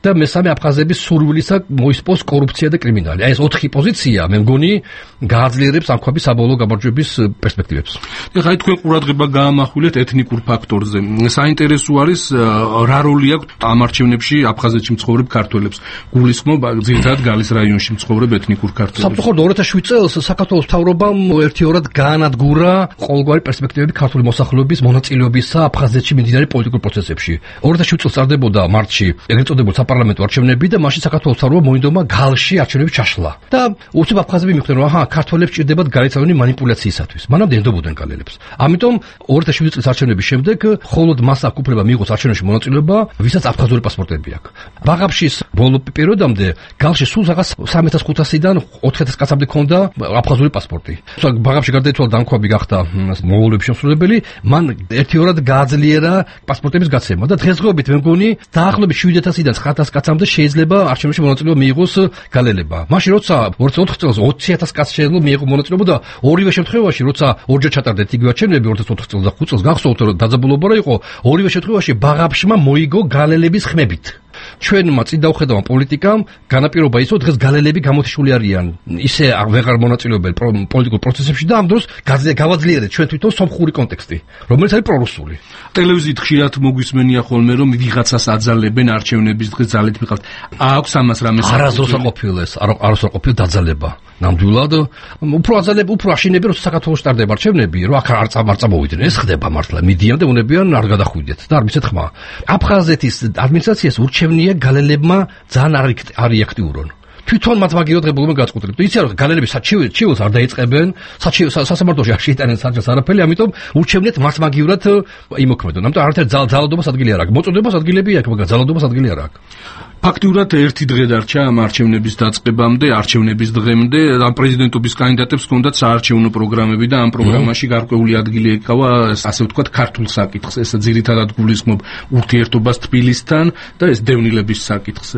და მესამე აფხაზების სურვილისა მოისპოს კორუფცია და კრიმინალი. აი ეს 4 პოზიცია მე მგონი გააძლიერებს ამქვაბის საბოლოო გამარჯვების პერსპექტივებს. ეხლა თქვენ ყურადღება გაამახვილეთ ეთნიკურ ფაქტორზე. საინტერესო არის რა როლი აქვს ამ არჩევნებში აფხაზეთში მცხოვრებ ქართველებს. გულისხმობ ძირითადად გალის რაიონში მცხოვრებ ეთნიკურ ქართველებს. საფრთხოდ 2007 წელს საქართველოს მთავრობამ ერთიორად გაანადგურა ყოველგვარი პერსპექტივები ქართული მოსახლეობის მონაწილეობისა აფხაზეთში მიმდინარე პოლიტიკურ პროცესებში. 2007 წელს წარდებოდა მარტში ეგრეთ წოდებულ საპარლამენტო არჩევნები და მაშინ საქართველოს მთავრობამ მოინდომა გალში არჩევნების ჩაშლა. და უცებ აფხაზები მიხვდნენ რომ ქართველებს ჭირდებათ გარეთ მანიპულაციისათვის. მანამდე ენდობოდნენ გალელებს. ამიტომ 2007 წლის არჩევნების შემდეგ მხოლოდ მას აქვს უფლება მიიღოს არჩევნებში მონაწილეობა, ვისაც აფხაზური პასპორტები აქვს. ბაღაფშის ბოლო პერიოდამდე გალში სულ რაღაც 3500-დან 4000 კაცამდე ჰქონდა აფხაზური პასპორტი. ბაღაფში გარდაიცვალა და ამქვაბი გახდა მონღოლების შემსრულებელი, მან ერთიორად გააძლიერა პასპორტების გაცემა და დღესდღეობით მე მგონი დაახლოებით 7000-დან 9000 კაცამდე შეიძლება არჩევნებში მონაწილეობა მიიღოს გალელებმა. მაშინ როცა 2004 წელს 20000 კაცს შეიძლება მიიღო მონაწილეობა და ორივე შემთხვევაში როცა ორჯერ ჩატარდეთ იგივე არჩევნები 2004 წელს და 5 წელს გახსოვთ რომ დაძაბულობა რა იყო, ორივე შემთხვევაში ბაღაფშმა მოიგო გალელების ხმებით. ჩვენმა წინ დავხედავმა პოლიტიკამ განაპირობა ისო დღეს გალელები გამოთიშული არიან ისე აღარ მონაწილეობენ პოლიტიკურ პროცესებში და ამ დროს გავაძლიერეთ ჩვენ თვითონ სომხური კონტექსტი რომელიც არის პრორუსული. ტელევიზიით ხშირად მოგვისმენია ხოლმე რომ ვიღაცას აძალებენ არჩევნების დღეს ძალით მიყავთ. აქვს ამას რამე არასდროს აყოფილეს არასდროს აყოფილ დაძალება. ნამდვილად უფრო აძალებ უფრო აშინები რომ საქართველოს ტარდება არჩევნები რომ აქ არ წამოვიდნენ ეს ხდება მართლა მიდიან და უნებიან არ გადახვიდეთ და არ მიცეთ ხმა. აფხაზეთის ადმინისტრაციას ურჩევნია გალელებმა ძალიან არ იაქტიურონ. თვითონ მათ მაგიოდღებულმა გაწყვეტილეთ. იცი რა გალელები საჩივილს არ დაიწყებენ, სასამართლოში არ შეიტანენ საჯას არაფერი, ამიტომ ურჩევნიათ მათ მაგივრად იმოქმედონ. ამიტომ არათერ ძალადობას ადგილი არ აქვს. მოწოდებას ადგილები აქვს, მაგრამ ძალადობას ადგილი არ აქვს. ფაქტიურად ერთი დღე დარჩა ამ არჩევნების დაწყებამდე, არჩევნების დღემდე, ამ პრეზიდენტობის კანდიდატებს ჰქონდათ საარჩევნო პროგრამები და ამ პროგრამაში გარკვეული ადგილი ეკავა, ასე ვთქვათ, ქართულ საკითხს. ეს ძირითადად გულისხმობ ურთიერთობას თბილისთან და ეს დევნილების საკითხს.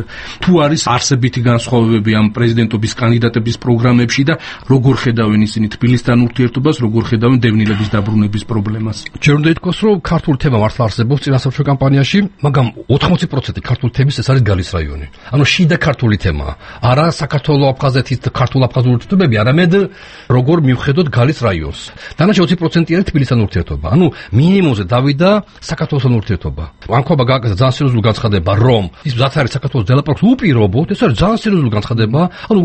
თუ არის არსებითი განსხვავებები ამ პრეზიდენტობის კანდიდატების პროგრამებში და როგორ ხედავენ ისინი თბილისთან ურთიერთობას, როგორ ხედავენ დევნილების დაბრუნების პრობლემას? ჯერ უნდა ითქვას, რომ ქართული თემა მართლა არსებობს წინასაარჩევნო კამპანიაში, მაგრამ 80% ქართული თემის ეს არის გალის რაიონი. ანუ შიდა ქართული თემაა. არა საქართველოს აფხაზეთის ქართულ-აფხაზური ურთიერთობები, არამედ როგორ მივხედოთ გალის რაიონს. დანარჩენ 20% არის თბილისთან ურთიერთობა. ანუ მინიმუმზე დავიდა საქართველოსთან ურთიერთობა. ამქობა გააკეთა ძალიან სერიოზული განცხადება, რომ ის მზად არის საქართველოს დელაპარაკოს უპირობოდ, ეს არის ძალიან სერიოზული განცხადება. ანუ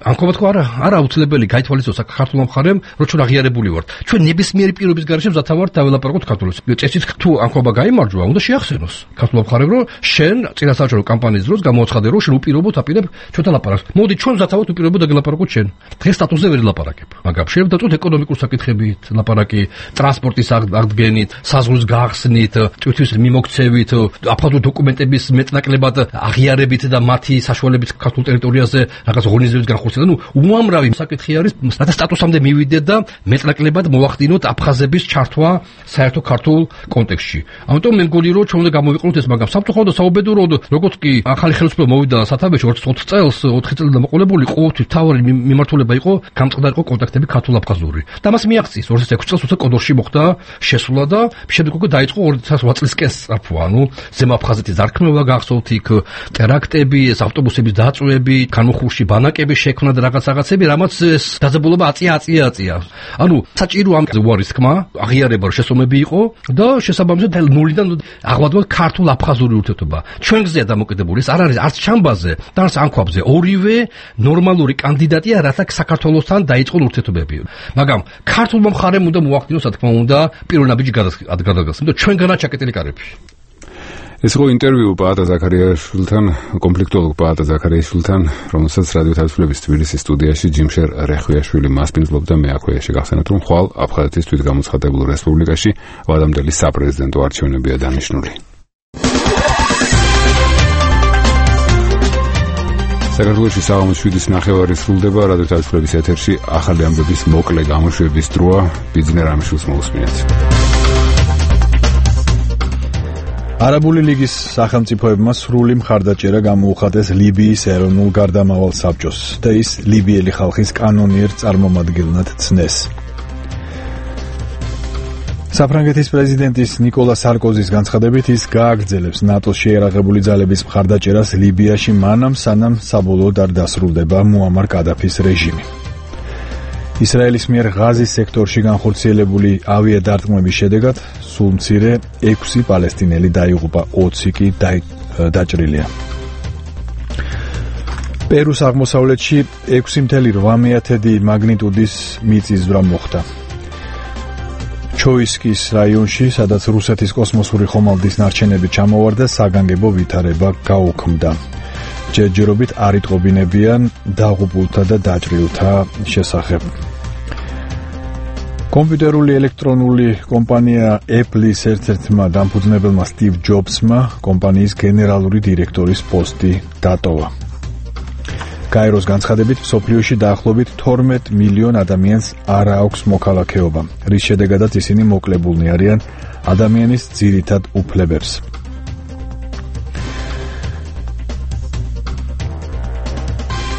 ამქობა თქვა არა აუცილებელი გაითვალისწინოს საქართველოს მხარემ, რომ ჩვენ აღიარებული ვართ. ჩვენ ნებისმიერი პირობის გარეშე მზად ვართ დაველაპარაკოთ საქართველოს. წესით თუ ამქობა გაიმარჯვა, უნდა შეახსენოს საქართველოს მხარემ, რომ შენ წინასაარჩევნო კამპანიის დროს გამოაცხადე რომ შენ უპირობოდ აპირებ ჩვენთან ლაპარაკს. მოდი ჩვენ ზათავოთ უპირობოდ დაგელაპარაკოთ შენ. დღეს სტატუსზე ვერ ლაპარაკებ. მაგრამ შეიძლება დაწვეთ ეკონომიკურ საკითხებით ლაპარაკი, ტრანსპორტის აღდგენით, საზღვრის გახსნით, ტვირთვის მიმოქცევით, აფხაზური დოკუმენტების მეტნაკლებად აღიარებით და მათი საშუალებით ქართულ ტერიტორიაზე რაღაც ორგანიზების განხორციელება. ნუ უამრავი საკითხი არის, რათა სტატუსამდე მივიდეთ და მეტნაკლებად მოახდინოთ აფხაზების ჩართვა საერთო ქართულ კონტექსტში. ამიტომ მე მგონი რომ ჩვენ უნდა გამოვიყენოთ ეს, მაგრამ საფრთხოდ და საუბედუროდ როგორც კი ახალი ხელისუფლება მოვიდა სათავეში 2004 წელს, 4 წელი დამოყოლებული ყოველთვის თავი მიმართულება იყო გამწყდა იყო კონტაქტები ქართულ-აფხაზური. და მას მიაღწიეს 2006 წელს როცა კოდორში მოხდა შესვლა და შემდეგ უკვე დაიწყო 2008 წლისკენ სწრაფვა. ანუ ზემო აფხაზეთის დარქმევა გახსოვთ, იქ ტერაქტები, ავტობუსების დაწვევები, განუხურში ბანაკების შექმნა და რაღაცები, რამაც ეს დაძაბულობა აწია. ანუ საჭირო ამ უარის თქმა, აღიარება შესომები იყო და შესაბამისად ნულიდან აღვადოთ ქართულ-აფხაზური ურთიერთობა. ჩვენ გზეა დამოკიდებული, ეს არ არის არც ჩამბაზე და არც ამქვაბზე. ორივე ნორმალური კანდიდატია, რათა საქართველოსთან დაიწყონ ურთიერთობები. მაგრამ ქართულმა მხარემ უნდა მოახდინოს, რა თქმა უნდა, პირველ ნაბიჯი გადაგასცეს. იმიტომ ჩვენგანაა ჩაკეტილი კარები. ეს იყო ინტერვიუ პაატა ზაქარიაშვილთან, კონფლიქტოლოგ პაატა ზაქარიაშვილთან, რომელსაც რადიო თავისუფლების თბილისის სტუდიაში ჯიმშერ რეხვიაშვილი მასპინძლობდა. მე აქვე შეგახსენებთ, რომ ხვალ აფხაზეთის თვითგამოცხადებულ რესპუბლიკაში ვადამდელი საპრეზიდენტო არჩევნებია დანიშნული. საქართველოში საღამოს 7:09 სრულდება რადიო თავისუფლების ეთერში ახალი ამბების მოკლე გამოშვების დროა. ბიძინა რამიშვილს მოусმინეთ. არაბული ლიგის სახელმწიფოებმა სრული მხარდაჭერა გამოუხატეს ლიბიის ეროვნულ გარდამავალ საბჭოს და ის ლიბიელი ხალხის კანონიერ წარმომადგენლად ცნეს. საფრანგეთის პრეზიდენტის ნიკოლა სარკოზის განცხადებით ის გააგრძელებს ნატოს შეერაღებული ძალების მხარდაჭერას ლიბიაში მანამ სანამ საბოლოოდ არ დასრულდება მუამარ კადაფის რეჟიმი. ისრაელის მიერ ღაზის სექტორში განხორციელებული ავიადარტყმების შედეგად სულ მცირე 6 პალესტინელი დაიღუპა, 20 კი დაჭრილია. პერუს აღმოსავლეთში 6.8 მაგნიტუდის მიწისძვრა მოხდა. ჩოისკის რაიონში, სადაც რუსეთის კოსმოსური ხომალდის ნარჩენები ჩამოვარდა, საგანგებო ვითარება გაუქმდა. ჯერჯერობით არ იტყობინებიან დაღუპულთა და დაჭრილთა შესახებ. კომპიუტერული ელექტრონული კომპანია Apple-ის ერთ-ერთმა დამფუძნებელმა სტივ ჯობსმა კომპანიის გენერალური დირექტორის პოსტი დატოვა. გაეროს განცხადებით, მსოფლიოში დაახლოებით 12 მილიონ ადამიანს არ აქვს მოქალაქეობა, რის შედეგადაც ისინი მოკლებულნი არიან ადამიანის ძირითად უფლებებს.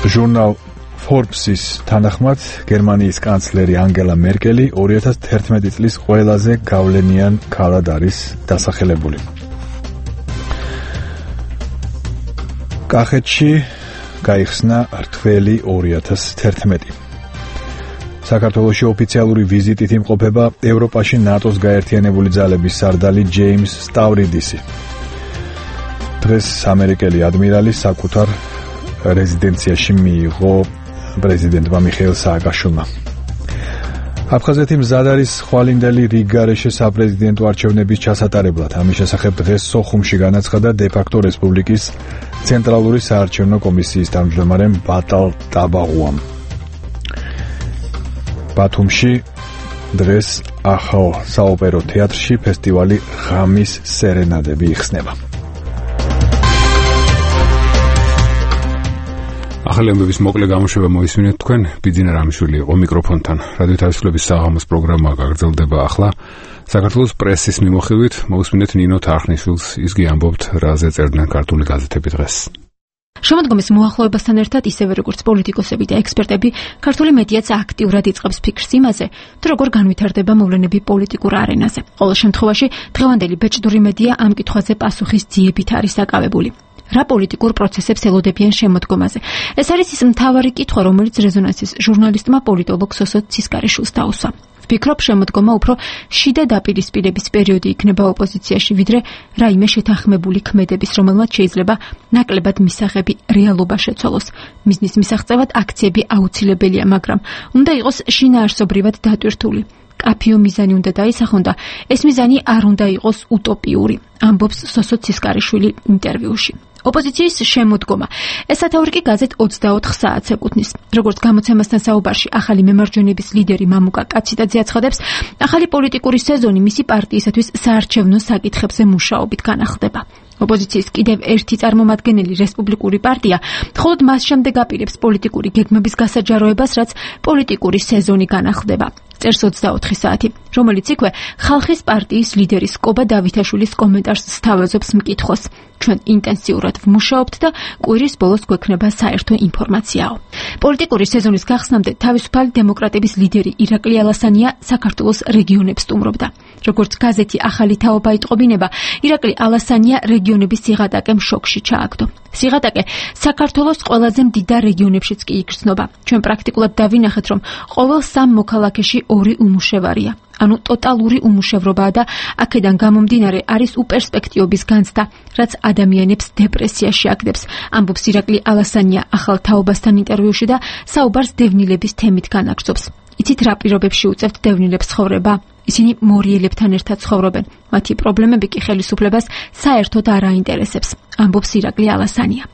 ჟურნალ Forbes-ის თანახმად, გერმანიის კანცლერი ანგელა მერკელი 2011 წლის ყველაზე გავლენიან ქალად არის დასახელებული. კახეთში გაიხსნა რთველი 2011. საქართველოში ოფიციალური ვიზიტით იმყოფება ევროპაში ნატოს გაერთიანებული ძალების სარდალი ჯეიმს სტავრიდისი. დღეს ამერიკელი ადმირალი საკუთარ რეზიდენციაში მიიღო პრეზიდენტმა მიხეილ სააკაშვილმა. აფხაზეთი მზად არის ხვალინდელი რიგგარეშე საპრეზიდენტო არჩევნების ჩასატარებლად. ამის შესახებ დღეს სოხუმში განაცხადა დე-ფაქტო რესპუბლიკის ცენტრალური საარჩევნო კომისიის თავმჯდომარე ბატალ ტაბაღუამ. ბათუმში დღეს ახალ საოპერო თეატრში ფესტივალი ღამის სერენადები იხსნება. ახალი ამბების მოკლე გამოშვება მოისმინეთ თქვენ. ბიძინა რამიშვილი იყო მიკროფონთან. რადიო თავისუფლების საღამოს პროგრამა გაგრძელდება ახლა. საქართველოს პრესის მიმოხილვით მოусმინეთ ნინო თარხნიშვილს. ისგი ამბობთ, რაზე წერდნენ ქართული გაზეთები დღეს. შემოდგომის მოახლოებასთან ერთად ისევე როგორც პოლიტიკოსები და ექსპერტები, ქართული მედიაც აქტიურად იწყებს ფიქრს იმაზე, თუ როგორ განვითარდება მოვლენები პოლიტიკურ არენაზე. ყოველ შემთხვევაში, დღევანდელი ბეჭდური მედია ამ კითხვაზე პასუხის ძიებით არის დაკავებული. რა პოლიტიკურ პროცესებს ელოდებიან შემოდგომაზე? ეს არის ის მთავარი კითხვა, რომელიც რეზონანსის ჟურნალისტმა პოლიტოლოგ სოსო ცისკარიშვილს დაუსვა. ვფიქრობ, შემოდგომა უფრო შიდა დაპირისპირების პერიოდი იქნება ოპოზიციაში, ვიდრე რაიმე შეთანხმებული ქმედების, რომელმაც შეიძლება ნაკლებად მისაღები რეალობა შეცვალოს. მიზნის მისაღწევად აქციები აუცილებელია, მაგრამ უნდა იყოს შინაარსობრივად დატვირთული. კაფიო მიზანი უნდა დაისახონ და ეს მიზანი არ უნდა იყოს უტოპიური, ამბობს სოსო ცისკარიშვილი ინტერვიუში. ოპოზიციის შემოდგომა. ეს სათაური კი გაზეთ 24 საათს ეკუთვნის. როგორც გამოცემასთან საუბარში ახალი მემარჯვენების ლიდერი მამუკა კაციტაძე აცხადებს, ახალი პოლიტიკური სეზონი მისი პარტიისათვის საარჩევნო საკითხებზე მუშაობით განახლდება. ოპოზიციის კიდევ ერთი წარმომადგენელი რესპუბლიკური პარტია მხოლოდ მას შემდეგ აპირებს პოლიტიკური გეგმების გასაჯაროებას, რაც პოლიტიკური სეზონი განახლდება. წერს 24 საათი, რომელიც იქვე ხალხის პარტიის ლიდერის კობა დავითაშვილის კომენტარს სთავაზობს მკითხოს. ჩვენ ინტენსიურად ვმუშაობთ და კვირის ბოლოს გვექნება საერთო ინფორმაციაო. პოლიტიკური სეზონის გახსნამდე თავისუფალი დემოკრატების ლიდერი ირაკლი ალასანია საქართველოს რეგიონებს სტუმრობდა. როგორც გაზეთი ახალი თაობა იტყობინება, ირაკლი ალასანია რეგიონების სიღატაკემ შოკში ჩააგდო. სიღატაკე საქართველოს ყველაზე მდიდარ რეგიონებშიც კი იგრძნობა. ჩვენ პრაქტიკულად დავინახეთ, რომ ყოველ 3 მოქალაქეში 2 უმუშევარია. ანუ ტოტალური უმუშევრობაა და აქედან გამომდინარე არის უპერსპექტივობის განცდა, რაც ადამიანებს დეპრესიაში აგდებს, ამბობს ირაკლი ალასანია ახალ თაობასთან ინტერვიუში და საუბარს დევნილების თემით განაგრძობს. იცით რა პირობებში უწევთ დევნილებს ცხოვრება? ისინი მორიელებთან ერთად ცხოვრობენ. მათი პრობლემები კი ხელისუფლებას საერთოდ არ აინტერესებს, ამბობს ირაკლი ალასანია.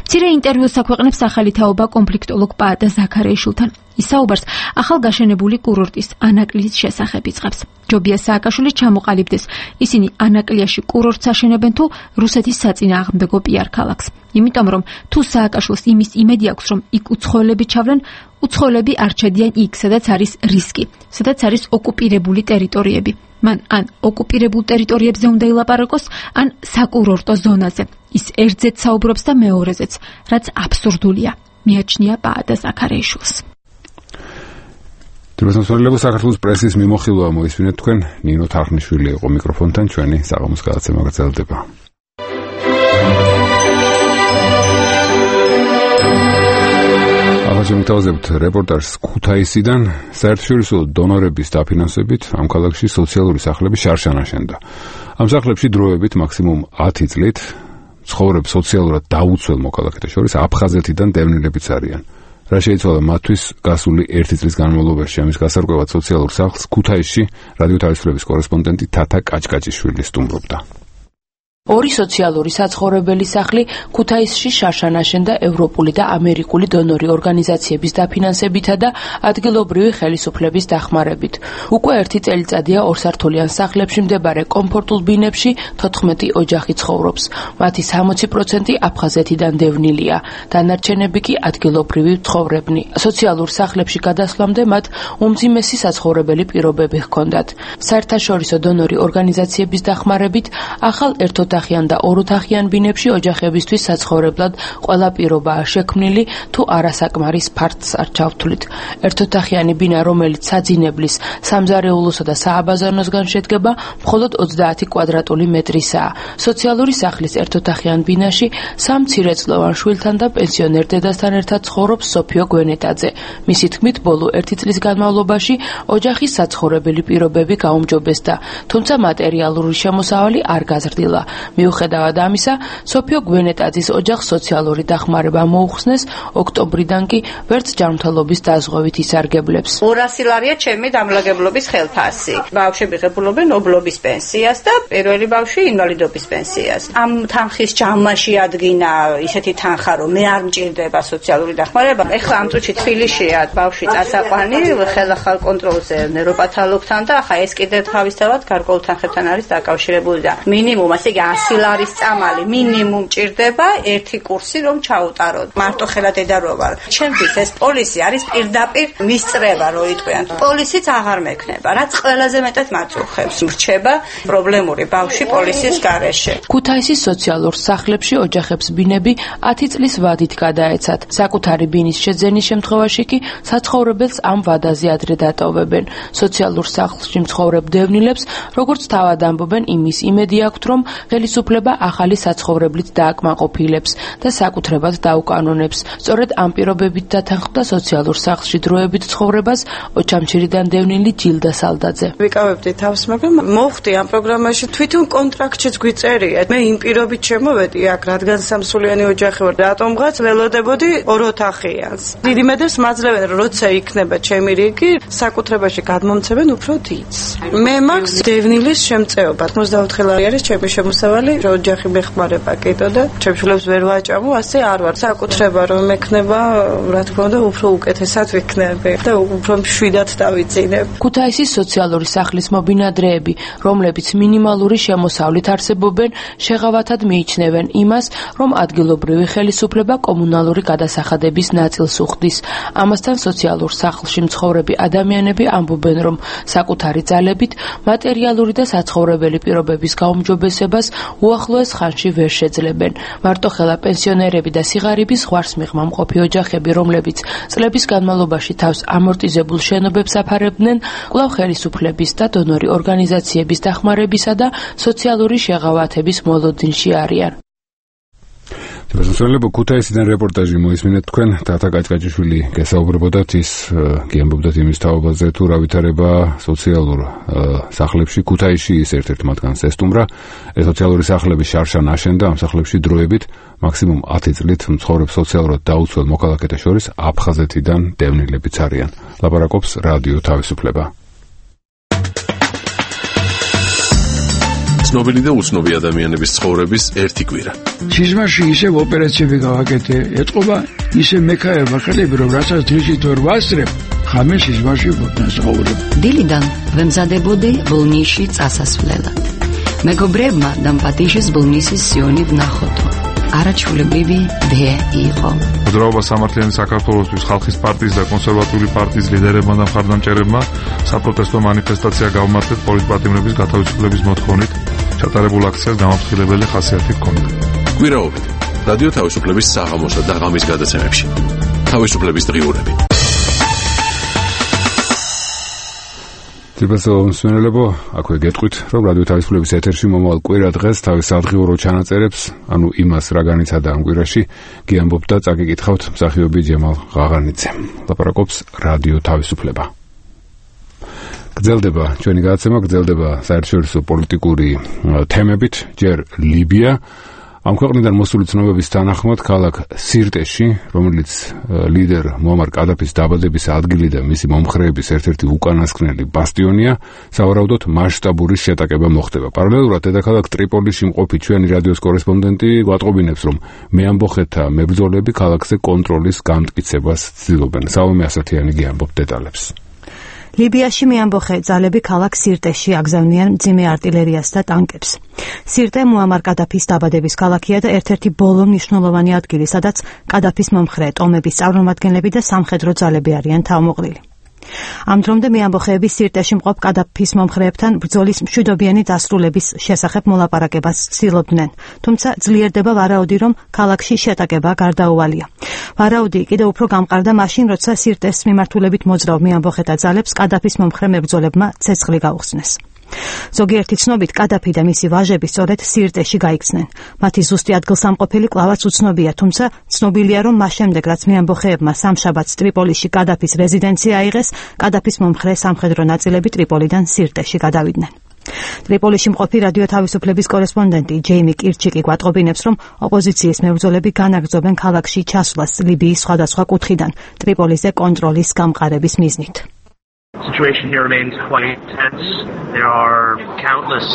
მცირე ინტერვიუს აქვეყნებს ახალი თაობა კონფლიქტოლოგ პაატა ზაქარეიშვილთან. ის საუბარს ახალგაშენებული კურორტის ანაკლიის შესახებ იწყებს. ჯობია სააკაშვილი ჩამოყალიბდეს. ისინი ანაკლიაში კურორტს აშენებენ თუ რუსეთის საწინააღმდეგო პიარ ქალაქს. იმიტომ რომ თუ სააკაშვილს იმის იმედი აქვს, რომ იქ უცხოელები ჩავლენ, უცხოელები არ ჩადიან იქ, სადაც არის რისკი, სადაც არის ოკუპირებული ტერიტორიები. მან ან ოკუპირებულ ტერიტორიებზე უნდა ილაპარაკოს, ან საკურორტო ზონაზე. ის ერთზეც საუბრობს და მეორეზეც, რაც აბსურდულია. მიაჩნია პაატა ზაქარეიშვილს. თვითმსახურებელს საქართველოს პრესის მიმოხილვა მოისმინეთ თქვენ. ნინო თარხნიშვილი იყო მიკროფონთან, ჩვენი საღამოს გადაცემა გრძელდება. აღარ რეპორტაჟს ქუთაისიდან საერთაშორისო დონორების დაფინანსებით ამ ქალაქში სოციალური სახლების შარშან აშენდა. ამ სახლებში დროებით მაქსიმუმ 10 წლით ცხოვრებს სოციალურად დაუცველ მოქალაქეთა შორის აფხაზეთიდან დევნილებიც არიან. რა შეიცვალა მათთვის გასული 1 წლის განმავლობაში. ამის გასარკვევად სოციალურ სახლს ქუთაისში რადიო თავისუფლების კორესპონდენტი თათა კაჭკაჭიშვილი სტუმრობდა. ორი სოციალური საცხოვრებელი სახლი ქუთაისში შარშან აშენდა ევროპული და ამერიკული დონორი ორგანიზაციების დაფინანსებითა და ადგილობრივი ხელისუფლების დახმარებით. უკვე 1 წელიწადია ორსართულიან სახლებში მდებარე კომფორტულ ბინებში 14 ოჯახი ცხოვრობს. მათი 60% აფხაზეთიდან დევნილია, დანარჩენები კი ადგილობრივი ცხოვრებნი. სოციალურ სახლებში გადასვლამდე მათ უმძიმესი საცხოვრებელი პირობები ჰქონდათ. საერთაშორისო დონორი ორგანიზაციების დახმარებით ახალ ერთოთახიან და ოროთახიან ბინებში ოჯახებისთვის საცხოვრებლად ყველა პირობაა შექმნილი, თუ არასაკმარის ფართს არ ჩავთვლით. ერთოთახიანი ბინა, რომელიც საძინებლის, სამზარეულოსა და სააბაზანოსგან შედგება, მხოლოდ 30 კვადრატული მეტრისაა. სოციალური სახლის ერთოთახიან ბინაში 3 მცირეწლოვან შვილთან და პენსიონერ დედასთან ერთად ცხოვრობს სოფიო გვენეტაძე. მისი თქმით, ბოლო 1 წლის განმავლობაში ოჯახის საცხოვრებელი პირობები გაუმჯობესდა, თუმცა მატერიალური შემოსავალი არ გაზრდილა. მიუხედავად ამისა, სოფიო გვენეტაძის ოჯახს სოციალური დახმარება მოუხსნეს, ოქტომბრიდან კი ვერც ჯანმრთელობის დაზღვევით ისარგებლებს. 200 ლარია ჩემი დამლაგებლობის ხელფასი. ბავშვები ღებულობენ ობლობის პენსიას და პირველი ბავშვი ინვალიდობის პენსიას. ამ თანხის ჯამაში ადგინა ისეთი თანხა, რომ მე არ მჭირდება სოციალური დახმარება. ეხლა ამ წუთში თბილისშია ბავშვი წასაყვანი, ხელახალ კონტროლზე ნეიროპათოლოგთან და ახლა ეს კიდე თავისთავად გარკვეულ თანხებთან არის დაკავშირებული და მინიმუმ ასე 100 ლარის წამალი მინიმუმ ჭირდება ერთი კურსი რომ ჩაუტაროთ. მარტო ხელა დედა რო ვარ. ჩემთვის ეს პოლისი არის პირდაპირ მისწრება, რო იტყვიან. პოლისიც აღარ მექნება, რაც ყველაზე მეტად მაწუხებს. რჩება პრობლემური ბავშვი პოლისის გარეშე. ქუთაისის სოციალურ სახლებში ოჯახებს ბინები 10 წლის ვადით გადაეცათ. საკუთარი ბინის შეძენის შემთხვევაში კი საცხოვრებელს ამ ვადაზე ადრე დატოვებენ. სოციალურ სახლში მცხოვრებ დევნილებს, როგორც თავად ამბობენ, იმის იმედი აქვთ, რომ ხელისუფლება ახალი საცხოვრებლით დააკმაყოფილებს და საკუთრებად დაუკანონებს. სწორედ ამ პირობებით დათანხმდა სოციალურ სახლში დროებით ცხოვრებას ოჩამჩირიდან დევნილი ჯილდა სალდაძე. ვიკავებდი თავს, მაგრამ მოხდი ამ პროგრამაში თვითონ კონტრაქტშიც გვიწერიათ. მე იმ პირობით შემოვედი აქ, რადგან სამსულიანი ოჯახი ვარ, რატომღაც ველოდებოდი ოროთახიანს. დიდი მედებს მაძლევენ, როცა იქნება ჩემი რიგი, საკუთრებაში გადმომცემენ უფრო დიდს. მე მაქვს დევნილის შემწეობა. 84 ლარი არის ჩემი შემოსავალი, ოჯახი მეხმარება კიდო და ჩემშულებს ვერ ვაჭამო, ასე არ ვარ. საკუთრება რომ ექნება, რა თქმა უნდა, უფრო უკეთესად ვიქნები და უფრო მშვიდად დავიძინებ. ქუთაისის სოციალური სახლის მობინადრეები, რომლებიც მინიმალური შემოსავლით არსებობენ, შეღავათად მიიჩნევენ იმას, რომ ადგილობრივი ხელისუფლება კომუნალური გადასახადების ნაწილს უხდის. ამასთან სოციალურ სახლში მცხოვრები ადამიანები ამბობენ, რომ საკუთარი ძალებით მატერიალური და საცხოვრებელი პირობების გაუმჯობესებას უახლოეს ხანში ვერ შეძლებენ. მარტოხელა პენსიონერები და სიღარიბის ზღვარს მიღმამყოფი ოჯახები, რომლებიც წლების განმავლობაში თავს ამორტიზებულ შენობებს აფარებდნენ, კვლავ ხელისუფლების და დონორი ორგანიზაციების დახმარებისა და სოციალური შეღავათების მოლოდინში არიან. თვითმსახურებელს ქუთაისიდან რეპორტაჟი მოისმინეთ თქვენ. თათა კაჭკაჭიშვილი გესაუბრებოდათ, ის გიამბობდათ იმის თაობაზე, თუ რა ვითარება სოციალურ სახლებში. ქუთაისში ის ერთ-ერთ მათგანს ესტუმრა. ეს სოციალური სახლები შარშან აშენდა, ამ სახლებში დროებით მაქსიმუმ 10 წლით მცხოვრებ სოციალურად დაუცველ მოქალაქეთა შორის აფხაზეთიდან დევნილებიც არიან. ლაპარაკობს რადიო თავისუფლება. ცნობილი და უცნობი ადამიანების ცხოვრების ერთი კვირა. სიზმარში ისევ ოპერაციები გავაკეთე, ეთყობა ისე მექაება ხელები, რომ რასაც დღისით ვერ ვასწრებ, ხამე სიზმარში ვთნასაუბრებ. დილიდან ვემზადებოდი ბოლნისში წასასვლელად. მეგობრებმა დამპატიჟეს ბოლნისის სიონი ვნახოთო. არაჩვეულებრივი დე იყო. მოძრაობა სამართლიანი საქართველოსთვის ხალხის პარტიის და კონსერვატიული პარტიის ლიდერებმა და მხარდამჭერებმა საპროტესტო მანიფესტაცია გავმართეთ პოლიტპატიმრების გათავისუფლების მოთხოვნით. ჩატარებულ აქციას გამაფრთხილებელი ხასიათი ჰქონდა. კვირაობით რადიო თავისუფლების საღამოსა და ღამის გადაცემებში. თავისუფლების დღიურები. თვითმსმენელებო, აქვე გეტყვით, რომ რადიო თავისუფლების ეთერში მომავალ კვირა დღეს თავის სადღიურო ჩანაწერებს, ანუ იმას რა განიცადა ამ კვირაში, გიამბობთ და წაგიკითხავთ მსახიობი ჯემალ ღაღანიძემ. ლაპარაკობს რადიო თავისუფლება. გრძელდება ჩვენი გადაცემა, გრძელდება საერთაშორისო პოლიტიკური თემებით, ჯერ ლიბია. ამ ქვეყნიდან მოსული ცნობების თანახმად ქალაქ სირტეში, რომელიც ლიდერ მუამარ კადაფის დაბადების ადგილი და მისი მომხრეების ერთ-ერთი უკანასკნელი ბასტიონია, სავარაუდოდ მასშტაბური შეტაკება მოხდება. პარალელურად დედაქალაქ ტრიპოლიში მყოფი ჩვენი რადიოს კორესპონდენტი გვატყობინებს, რომ მეამბოხეთა მებრძოლები ქალაქზე კონტროლის გამტკიცებას ცდილობენ. საომე ასათიანი გიამბობ დეტალებს. ლიბიაში მეამბოხე ძალები ქალაქ სირტეში აგზავნიან მძიმე არტილერიას და ტანკებს. სირტე მუამარ კადაფის დაბადების ქალაქია და ერთ-ერთი ბოლო მნიშვნელოვანი ადგილი, სადაც კადაფის მომხრე ტომების წარმომადგენლები და სამხედრო ძალები არიან თავმოყრილი. ამ დრომდე მეამბოხეები სირტეში მყოფ კადაფის მომხრეებთან ბრძოლის მშვიდობიანი დასრულების შესახებ მოლაპარაკებას ცდილობდნენ, თუმცა ძლიერდება ვარაუდი, რომ ქალაქში შეტაკება გარდაუვალია. ვარაუდი კიდევ უფრო გამყარდა მაშინ, როცა სირტეს მიმართულებით მოძრავ მეამბოხეთა ძალებს კადაფის მომხრე მებრძოლებმა ცეცხლი გაუხსნეს. ზოგიერთი ცნობით კადაფი და მისი ვაჟები სწორედ სირტეში გაიქცნენ. მათი ზუსტი ადგილსამყოფელი კვლავაც უცნობია, თუმცა ცნობილია, რომ მას შემდეგ, რაც მეამბოხეებმა სამშაბათს ტრიპოლიში კადაფის რეზიდენცია აიღეს, კადაფის მომხრე სამხედრო ნაწილები ტრიპოლიდან სირტეში გადავიდნენ. ტრიპოლიში მყოფი რადიო თავისუფლების კორესპონდენტი ჯეიმი კირჩიკი გვატყობინებს, რომ ოპოზიციის მებრძოლები განაგრძობენ ქალაქში ჩასვლას ლიბიის სხვადასხვა კუთხიდან ტრიპოლიზე კონტროლის გამყარების მიზნით. The situation here remains quite tense. There are countless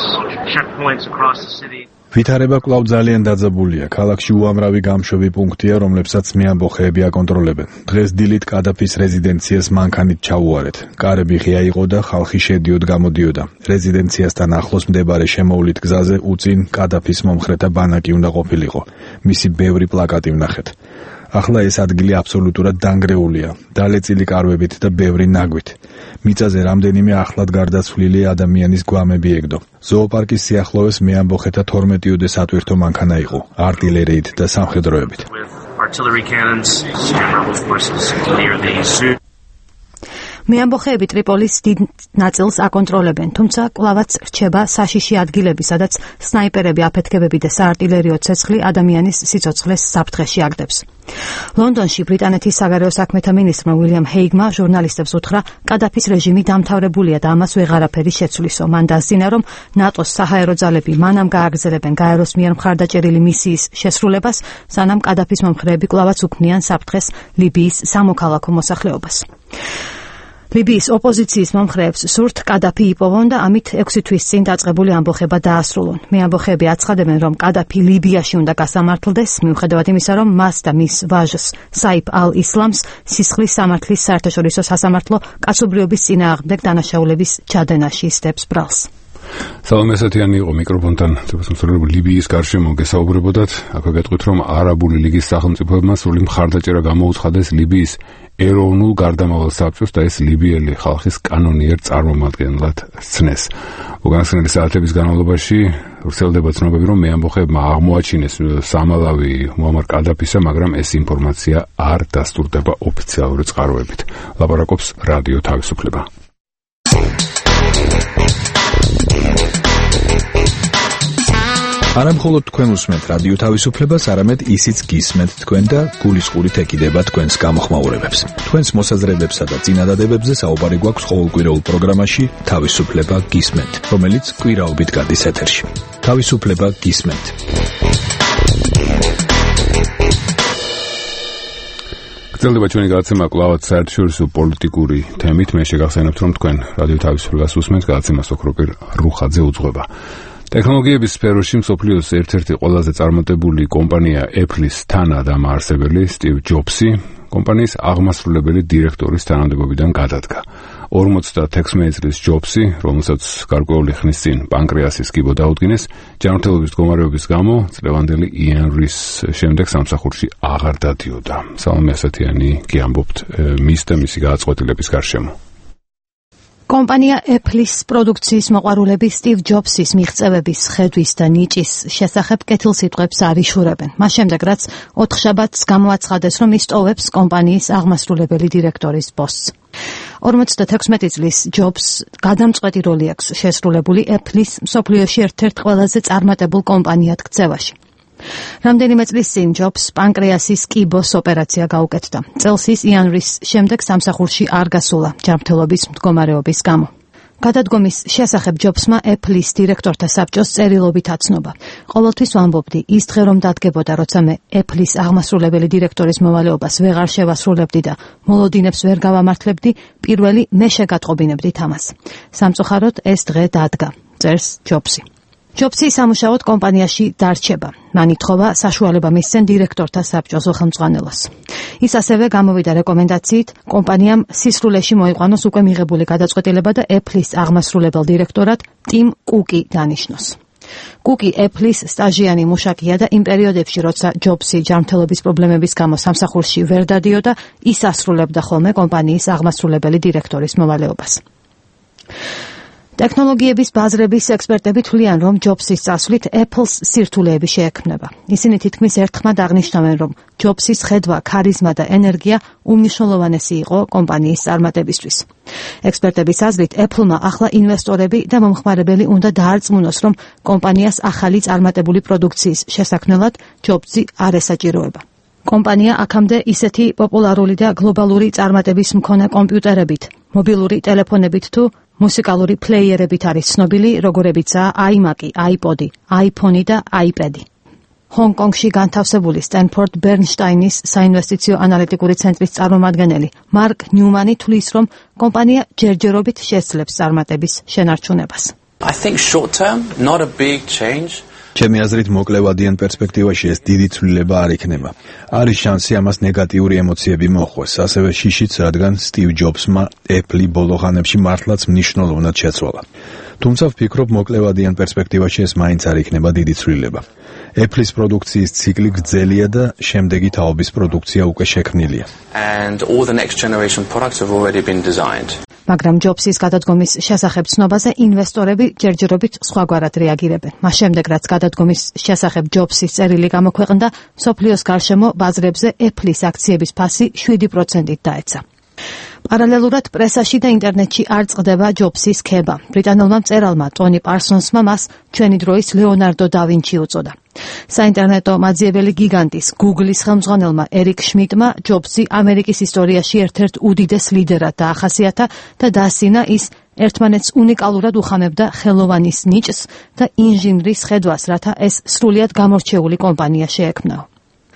checkpoints across the city. ვითარება კვლავ ძალიან დაძაბულია. ქალაქში უამრავი გამშვები პუნქტია, რომლებსაც მეამბოხეები აკონტროლებენ. დღეს დილით კადაფის რეზიდენციას მანქანით ჩაუარეთ. კარები ღია იყო და ხალხი შედიოდა-გამოდიოდა. რეზიდენციასთან ახლოს მდებარე შემოვლით გზაზე უწინ კადაფის მომხრეთა ბანაკი უნდა ყოფილიყო. მისი ბევრი პლაკატი ვნახეთ. ახლა ეს ადგილი აბსოლუტურად დანგრეულია, დალეწილი კარვებით და ბევრი ნაგვით. მიწაზე რამდენიმე ახლად გარდაცვლილი ადამიანის გვამები ეგდო. ზოოპარკის სიახლოვეს მეამბოხეთა 12-ოდე სატვირთო მანქანა იყო, არტილერიით და სამხედროებით. მეამბოხეები ტრიპოლის დიდ ნაწილს აკონტროლებენ, თუმცა კვლავაც რჩება საშიში ადგილები, სადაც სნაიპერები, აფეთქებები და საარტილერიო ცეცხლი ადამიანის სიცოცხლეს საფრთხეში აგდებს. ლონდონში ბრიტანეთის საგარეო საქმეთა მინისტრმა უილიამ ჰეიგმა ჟურნალისტებს უთხრა, კადაფის რეჟიმი დამთავრებულია და ამას ვეღარაფერი შეცვლისო. მან დასძინა, რომ ნატოს საჰაერო ძალები მანამ გააგრძელებენ გაეროს მიერ მხარდაჭერილი მისიის შესრულებას, სანამ კადაფის მომხრეები კვლავაც უქმნიან საფრთხეს ლიბიის სამოქალაქო მოსახლეობას. ლიბიის ოპოზიციის მომხრეებს სურთ კადაფი იპოვონ და ამით 6 თვის წინ დაწყებული ამბოხება დაასრულონ. მეამბოხეები აცხადებენ, რომ კადაფი ლიბიაში უნდა გასამართლდეს, მიუხედავად იმისა, რომ მას და მის ვაჟს საიფ ალ-ისლამს სისხლის სამართლის საერთაშორისო სასამართლო კაცობრიობის წინააღმდეგ დანაშაულების ჩადენაში ისდებს ბრალს. საომე ასათიანი იყო მიკროფონთან თვითმსახურებულ ლიბიის გარშემო გესაუბრებოდათ. აქვე გეტყვით, რომ არაბული ლიგის სახელმწიფოებმა სრული მხარდაჭერა გამოუცხადეს ლიბიის ეროვნულ გარდამავალ საბჭოს და ეს ლიბიელი ხალხის კანონიერ წარმომადგენლად სცნეს. უკანასკნელი საათების განმავლობაში ვრცელდება ცნობები, რომ მეამბოხეებმა აღმოაჩინეს სამალავი მუამარ კადაფისა, მაგრამ ეს ინფორმაცია არ დასტურდება ოფიციალური წყაროებით. ლაპარაკობს რადიო თავისუფლება. არა მხოლოდ თქვენ უსმენთ რადიო თავისუფლებას, არამედ ისიც გისმენთ თქვენ და გულისყურით ეკიდება თქვენს გამოხმაურებებს. თქვენს მოსაზრებებსა და წინადადებებზე საუბარი გვაქვს ყოველკვირეულ პროგრამაში თავისუფლება გისმენთ, რომელიც კვირაობით გადის ეთერში. თავისუფლება გისმენთ. გრძელდება ჩვენი გადაცემა კვლავაც საერთაშორისო პოლიტიკური თემით. მე შეგახსენებთ, რომ თქვენ რადიო თავისუფლებას უსმენთ, გადაცემას ოქროპირ რუხაძე უძღვება. ტექნოლოგიების სფეროში მსოფლიოს ერთ-ერთი ყველაზე წარმატებული კომპანია Apple-ის თანადამაარსებელი სტივ ჯობსი კომპანიის აღმასრულებელი დირექტორის თანამდებობიდან გადადგა. 56 წლის ჯობსი, რომელსაც გარკვეული ხნის წინ პანკრეასის კიბო დაუდგინეს, ჯანმრთელობის მდგომარეობის გამო წლევანდელი იან რის შემდეგ სამსახურში აღარ დადიოდა. სალომე ასათიანი კი ამბობთ მის და მისი გადაწყვეტილების გარშემო. კომპანია Apple-ის პროდუქციის მოყვარულები სტივ ჯობსის მიღწევების, ხედვის და ნიჭის შესახებ კეთილსიტყვებს არ იშურებენ. მას შემდეგ, რაც 4 შაბათს გამოაცხადეს, რომ ის ტოვებს კომპანიის აღმასრულებელი დირექტორის პოსტს. 56 წლის ჯობს გადამწყვეტი როლი აქვს შესრულებული Apple-ის მსოფლიოში ერთ-ერთ ყველაზე წარმატებულ კომპანიად ქცევაში. რამდენიმე წლის წინ ჯობს პანკრეასის კიბოს ოპერაცია გაუკეთდა. წელს ის იან რის შემდეგ სამსახურში არ გასულა ჯანმრთელობის მდგომარეობის გამო. გადადგომის შესახებ ჯობსმა Apple-ის დირექტორთა საბჭოს წერილობით აცნობა. ყოველთვის ვამბობდი, ის დღე რომ დადგებოდა, როცა მე Apple-ის აღმასრულებელი დირექტორის მოვალეობას ვეღარ შევასრულებდი და მოლოდინებს ვერ გავამართლებდი, პირველი მე შეგატყობინებდით ამას. სამწუხაროდ ეს დღე დადგა, წერს ჯობსი. ჯობსი სამუშაოდ კომპანიაში დარჩება. მან ითხოვა საშუალება მისცენ დირექტორთა საბჭოს ხელმძღვანელოს. ის ასევე გამოვიდა რეკომენდაციით კომპანიამ სისრულეში მოიყვანოს უკვე მიღებული გადაწყვეტილება და Apple-ის აღმასრულებელ დირექტორად ტიმ კუკი დანიშნოს. კუკი Apple-ის სტაჟიანი მუშაკია და იმ პერიოდებში, როცა ჯობსი ჯანმრთელობის პრობლემების გამო სამსახურში ვერ დადიოდა, ის ასრულებდა ხოლმე კომპანიის აღმასრულებელი დირექტორის მოვალეობას. ტექნოლოგიების ბაზრების ექსპერტები თვლიან, რომ ჯობსის წასვლით Apple-ს სირთულეები შეექმნება. ისინი თითქმის ერთხმად აღნიშნავენ, რომ ჯობსის ხედვა, ქარიზმა და ენერგია უმნიშვნელოვანესი იყო კომპანიის წარმატებისთვის. ექსპერტების აზრით, Apple-მა ახლა ინვესტორები და მომხმარებელი უნდა დაარწმუნოს, რომ კომპანიას ახალი წარმატებული პროდუქციის შესაქმნელად ჯობსი არ ესაჭიროება. კომპანია აქამდე ისეთი პოპულარული და გლობალური წარმატების მქონე კომპიუტერებით, მობილური ტელეფონებით თუ მუსიკალური პლეიერებით არის ცნობილი, როგორებიცაა iMac, iPod, iPhone და iPad. ჰონგ-კონგში განთავსებული სტენფორდ ბერნშტაინის საინვესტიციო ანალიტიკური ცენტრის წარმომადგენელი მარკ ნიუმანი თვლის, რომ კომპანია ჯერჯერობით შესძლებს წარმატების შენარჩუნებას. I think short term, not a big change. ჩემი აზრით მოკლევადიან პერსპექტივაში ეს დიდი ცვლილება არ იქნება. არის შანსი ამას ნეგატიური ემოციები მოხვეს, ასევე შიშიც, რადგან სტივ ჯობსმა Apple-ი ბოლო ხანებში მართლაც მნიშვნელოვნად შეცვალა. თუმცა ვფიქრობ, მოკლევადიან პერსპექტივაში ეს მაინც არ იქნება დიდი ცვლილება. Apple-ის პროდუქციის ციკლი გრძელია და შემდეგი თაობის პროდუქცია უკვე შექმნილია. And all the next generation products have already been designed. მაგრამ ჯობსის გადადგომის შესახებ ცნობაზე ინვესტორები ჯერჯერობით სხვაგვარად რეაგირებენ. მას შემდეგ, რაც გადადგომის შესახებ ჯობსის წერილი გამოქვეყნდა, მსოფლიოს გარშემო ბაზრებზე Apple-ის აქციების ფასი 7%-ით დაეცა. პარალელურად პრესაში და ინტერნეტში არ წყდება ჯობსის ქება. ბრიტანულმა მწერალმა ტონი პარსონსმა მას ჩვენი დროის ლეონარდო და ვინჩი უწოდა. საინტერნეტო მაძიებელი გიგანტის Google-ის ხელმძღვანელმა ერიკ შმიდტმა ჯობსი ამერიკის ისტორიაში ერთ-ერთ უდიდეს ლიდერად დაახასიათა და დასინა ის ერთმანეთს უნიკალურად უხამებდა ხელოვანის ნიჭს და ინჟინრის ხედვას, რათა ეს სრულიად გამორჩეული კომპანია შეექმნაო.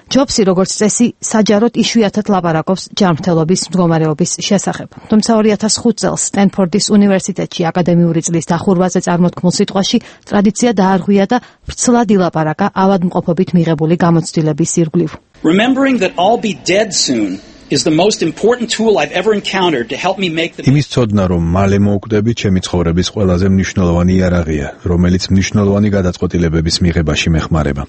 ჯობსი, როგორც წესი, საჯაროდ იშვიათად ლაპარაკობს ჯანმრთელობის მდგომარეობის შესახებ. თუმცა 2005 წელს სტენფორდის უნივერსიტეტში აკადემიური წლის დახურვაზე წარმოთქმულ სიტყვაში ტრადიცია დაარღვია და ვრცლად ილაპარაკა ავადმყოფობით მიღებული გამოცდილების ირგვლივ. Remembering that I'll be dead soon is the most important tool I've ever encountered to help me make the იმის ცოდნა, რომ მალე მოვკვდები, ჩემი ცხოვრების ყველაზე მნიშვნელოვანი იარაღია, რომელიც მნიშვნელოვანი გადაწყვეტილებების მიღებაში მეხმარება.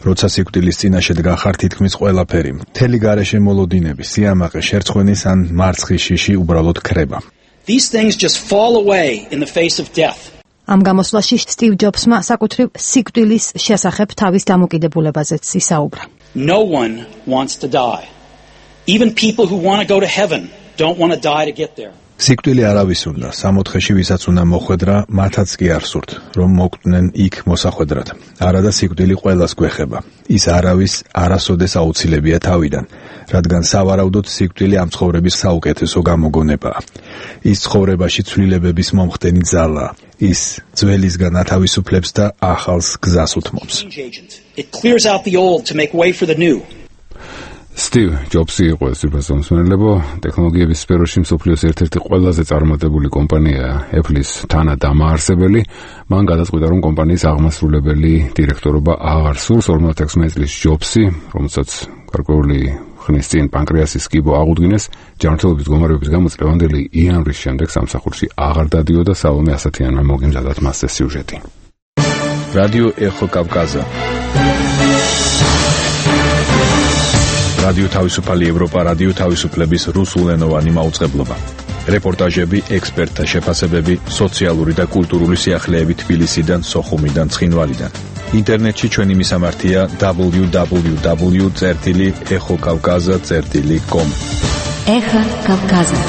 როცა სიკვდილის წინაშე დგახარ, თითქმის ყველაფერი, მთელი გარეშე მოლოდინები, სიამაყე, შერცხვენის ან მარცხის შიში უბრალოდ ქრება. These things just fall away in the face of death. ამ გამოსვლაში სტივ ჯობსმა საკუთრივ სიკვდილის შესახებ თავის დამოკიდებულებაზეც ისაუბრა. No one wants to die. Even people who want to go to heaven don't want to die to get there. სიკვდილი არავის უნდა, სამოთხეში ვისაც უნდა მოხვედრა, მათაც კი არ სურთ, რომ მოკვდნენ იქ მოსახვედრად. არადა სიკვდილი ყველას გვეხება. ის არავის არასოდეს აუცილებია თავიდან, რადგან სავარაუდოდ სიკვდილი ამ ცხოვრების საუკეთესო გამოგონებაა. ის ცხოვრებაში ცვლილებების მომხდენი ძალაა. ის ძველისგან ათავისუფლებს და ახალს გზას უთმობს. It clears out the old to make way for the new. Steve Jobs-ი იყო ეს უბრალოდ ტექნოლოგიების სფეროში მსოფლიოს ერთ-ერთი ყველაზე წარმატებული კომპანია Apple-ის თანადამაარსებელი. მან გადაწყვიტა, რომ კომპანიის აღმასრულებელი დირექტორობა აღარ სურს. 56 წლის Jobs-ი, რომელსაც გარკვეული ხნის წინ პანკრეასის კიბო აღუდგინეს, ჯანმრთელობის მდგომარეობის გამო წლევანდელი იანვრის შემდეგ სამსახურში აღარ დადიოდა. სალომე ასათიანმა მოგიმზადათ მასზე სიუჟეტი. რადიო ეხო კავკაზა. რადიო თავისუფალი ევროპა, რადიო თავისუფლების რუსულენოვანი მაუწყებლობა. რეპორტაჟები, ექსპერტთა შეფასებები, სოციალური და კულტურული სიახლეები თბილისიდან, სოხუმიდან, ცხინვალიდან. ინტერნეტში ჩვენი მისამართია www.exokavkaza.com. ეხა კავკაზა.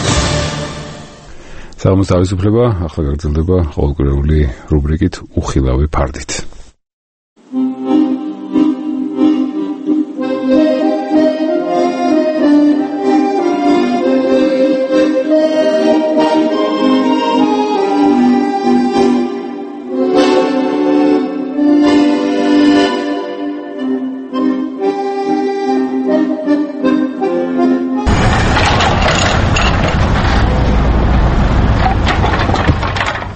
საღამოს თავისუფლება ახლა გაგრძელდება ყოველკვირეული რუბრიკით უხილავი ფარდით.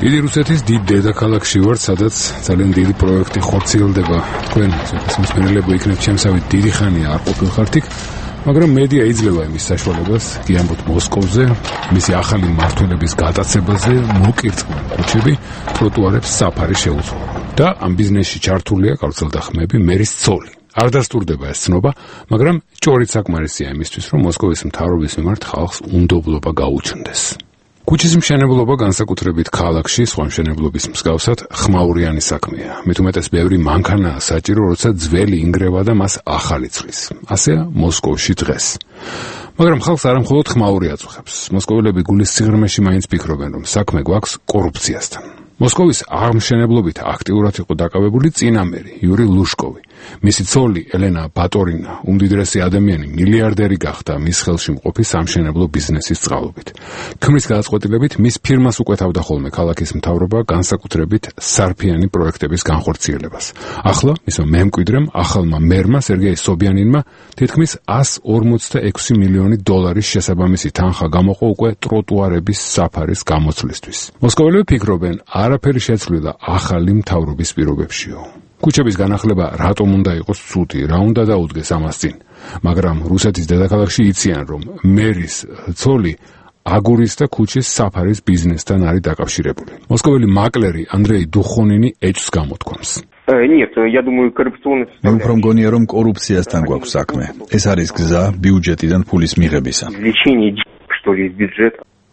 დიდი რუსეთის დიდ დედაქალაქში ვართ, სადაც ძალიან დიდი პროექტი ხორციელდება. თქვენ მსმენელები იქნებ ჩემსავით დიდი ხანია არ ყოფილხართ იქ, მაგრამ მედია იძლევა იმის საშუალებას გიამბოთ მოსკოვზე, მისი ახალი მმართველობის გატაცებაზე, მოკირწყლენ ქუჩები, ტროტუარებს საფარი შეუძლო. და ამ ბიზნესში ჩართულია გავრცელდა მერის ცოლი. არ დასტურდება ეს ცნობა, მაგრამ ჭორით საკმარისია იმისთვის, რომ მოსკოვის მთავრობის მიმართ ხალხს უნდობლობა გაუჩნდეს. ქუჩის მშენებლობა განსაკუთრებით ქალაქში სხვა მშენებლობის მსგავსად ხმაურიანი საქმეა. მით უმეტეს ბევრი მანქანაა საჭირო, როცა ძველი ინგრევა და მას ახალი ცხრის. ასეა მოსკოვში დღეს. მაგრამ ხალხს არამხოლოდ ხმაური აწუხებს. მოსკოველები გულის სიღრმეში მაინც ფიქრობენ, რომ საქმე გვაქვს კორუფციასთან. მოსკოვის აღმშენებლობით აქტიურად იყო დაკავებული წინამერი იური ლუშკოვი. მისი ცოლი ელენა ბატორინა უმდიდრესი ადამიანი მილიარდერი გახდა მის ხელში მყოფი სამშენებლო ბიზნესის წყალობით. ქმრის გადაწყვეტილებით მის ფირმას უკეთავდა ხოლმე ქალაქის მთავრობა განსაკუთრებით სარფიანი პროექტების განხორციელებას. ახლა მისმა მემკვიდრემ ახალმა მერმა სერგეი სობიანინმა თითქმის 146 მილიონი დოლარის შესაბამისი თანხა გამოყო უკვე ტროტუარების საფარის გამოცვლისთვის. მოსკოველები ფიქრობენ, არაფერი შეცვლილა ახალი მთავრობის პირობებშიო. ქუჩების განახლება რატომ უნდა იყოს ცუდი, რა უნდა დაუდგეს ამას წინ. მაგრამ რუსეთის დედაქალაქში იციან, რომ მერის ცოლი აგურის და ქუჩის საფარის ბიზნესთან არის დაკავშირებული. მოსკოველი მაკლერი ანდრეი დუხონინი ეჭვს გამოთქვამს. მე უფრო მგონია, რომ კორუფციასთან გვაქვს საქმე. ეს არის გზა ბიუჯეტიდან ფულის მიღებისა.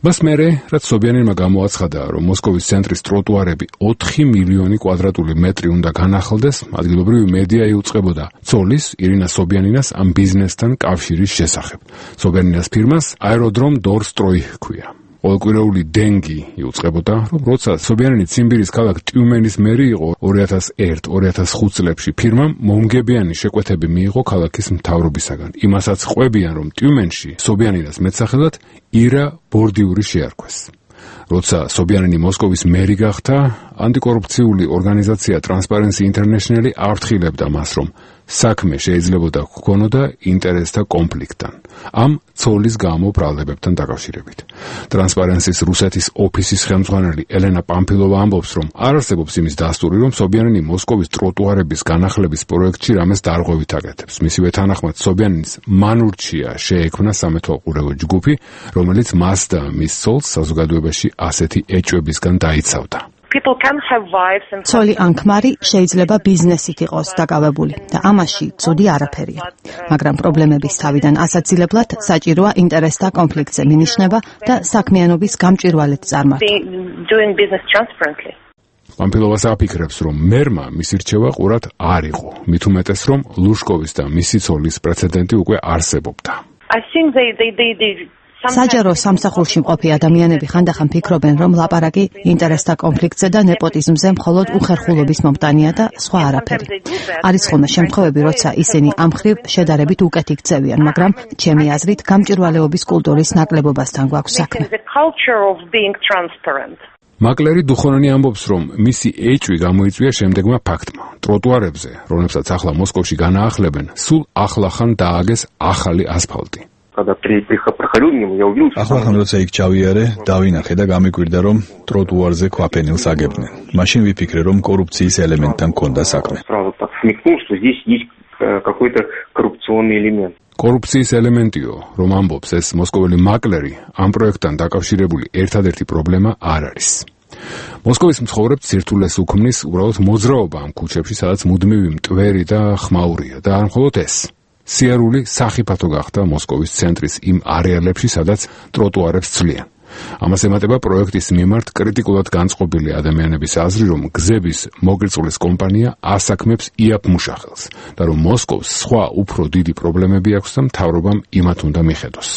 მას მერე, რაც სობიანინმა გამოაცხადა, რომ მოსკოვის ცენტრის ტროტუარები 4 მილიონი კვადრატული მეტრი უნდა განახლდეს, ადგილობრივი მედია იუწყებოდა ცოლის, ირინა სობიანინას ამ ბიზნესთან კავშირის შესახებ. სობიანინას ფირმას აეროდრომ დორსტროი ჰქვია. ყოველკვირეული დენგი იუწყებოდა, რომ როცა სობიანინი ციმბირის ქალაქ ტიუმენის მერი იყო 2001-2005 წლებში, ფირმამ მომგებიანი შეკვეთები მიიღო ქალაქის მთავრობისაგან. იმასაც ყვებიან, რომ ტიუმენში სობიანინას მეტსახელად ირა ბორდიური შეარქვეს. როცა სობიანინი მოსკოვის მერი გახდა, ანტიკორუფციული ორგანიზაცია Transparency International აფრთხილებდა მას, რომ საქმე შეიძლებოდა გქონოდა ინტერესთა კონფლიქტთან, ამ ცოლის გამო ბრალდებებთან დაკავშირებით. Transparency-ს რუსეთის ოფისის ხელმძღვანელი ელენა პამფილოვა ამბობს, რომ არ არსებობს იმის დასტური, რომ სობიანინი მოსკოვის ტროტუარების განახლების პროექტში რამეს დარღვევით აკეთებს. მისივე თანახმად სობიანინის მანურჩია შეექმნა სამეთვალყურეო ჯგუფი, რომელიც მას და მის ცოლს საზოგადოებაში ასეთი ეჭვებისგან დაიცავდა. ცოლი ან ქმარი შეიძლება ბიზნესით იყოს დაკავებული და ამაში ცუდი არაფერია. მაგრამ პრობლემების თავიდან ასაცილებლად საჭიროა ინტერესთა კონფლიქტზე მინიშნება და საქმიანობის გამჭვირვალედ წარმართვა. პამფილოვას აფიქრებს, რომ მერმა მისი რჩევა ყურად არ იყო, მით უმეტეს, რომ ლუშკოვის და მისი ცოლის პრეცედენტი უკვე არსებობდა. საჯარო სამსახურში მყოფი ადამიანები ხანდახან ფიქრობენ, რომ ლაპარაკი ინტერესთა კონფლიქტზე და ნეპოტიზმზე მხოლოდ უხერხულობის მომტანია და სხვა არაფერი. არის ხოლმე შემთხვევები, როცა ისინი ამ მხრივ შედარებით უკეთ იქცევიან, მაგრამ ჩემი აზრით გამჭვირვალეობის კულტურის ნაკლებობასთან გვაქვს საქმე. მაკლერი დუხონანი ამბობს, რომ მისი ეჭვი გამოიწვია შემდეგმა ფაქტმა. ტროტუარებზე, რომლებსაც ახლა მოსკოვში განაახლებენ, სულ ახლახან დააგეს ახალი ასფალტი. ახლა როცა იქ ჩავიარე, დავინახე და გამიკვირდა, რომ ტროტუარზე ქვაფენილს აგებდნენ. მაშინ ვიფიქრე, რომ კორუფციის ელემენტთან მქონდა საქმე. კორუფციის ელემენტიო, რომ ამბობს ეს მოსკოველი მაკლერი, ამ პროექტთან დაკავშირებული ერთადერთი პრობლემა არ არის. მოსკოვის მცხოვრებთ სირთულეს უქმნის უბრალოდ მოძრაობა ამ ქუჩებში, სადაც მუდმივი მტვერი და ხმაურია და არ მხოლოდ ეს. სიარული სახიფათო გახდა მოსკოვის ცენტრის იმ არეალებში, სადაც ტროტუარებს ცვლიან. ამას ემატება პროექტის მიმართ კრიტიკულად განწყობილი ადამიანების აზრი, რომ გზების მოგრწოლის კომპანია ასაქმებს იაფ-მუშახელს და რომ მოსკოვს სხვა უფრო დიდი პრობლემები აქვს და მთავრობამ იმათ უნდა მიხედოს.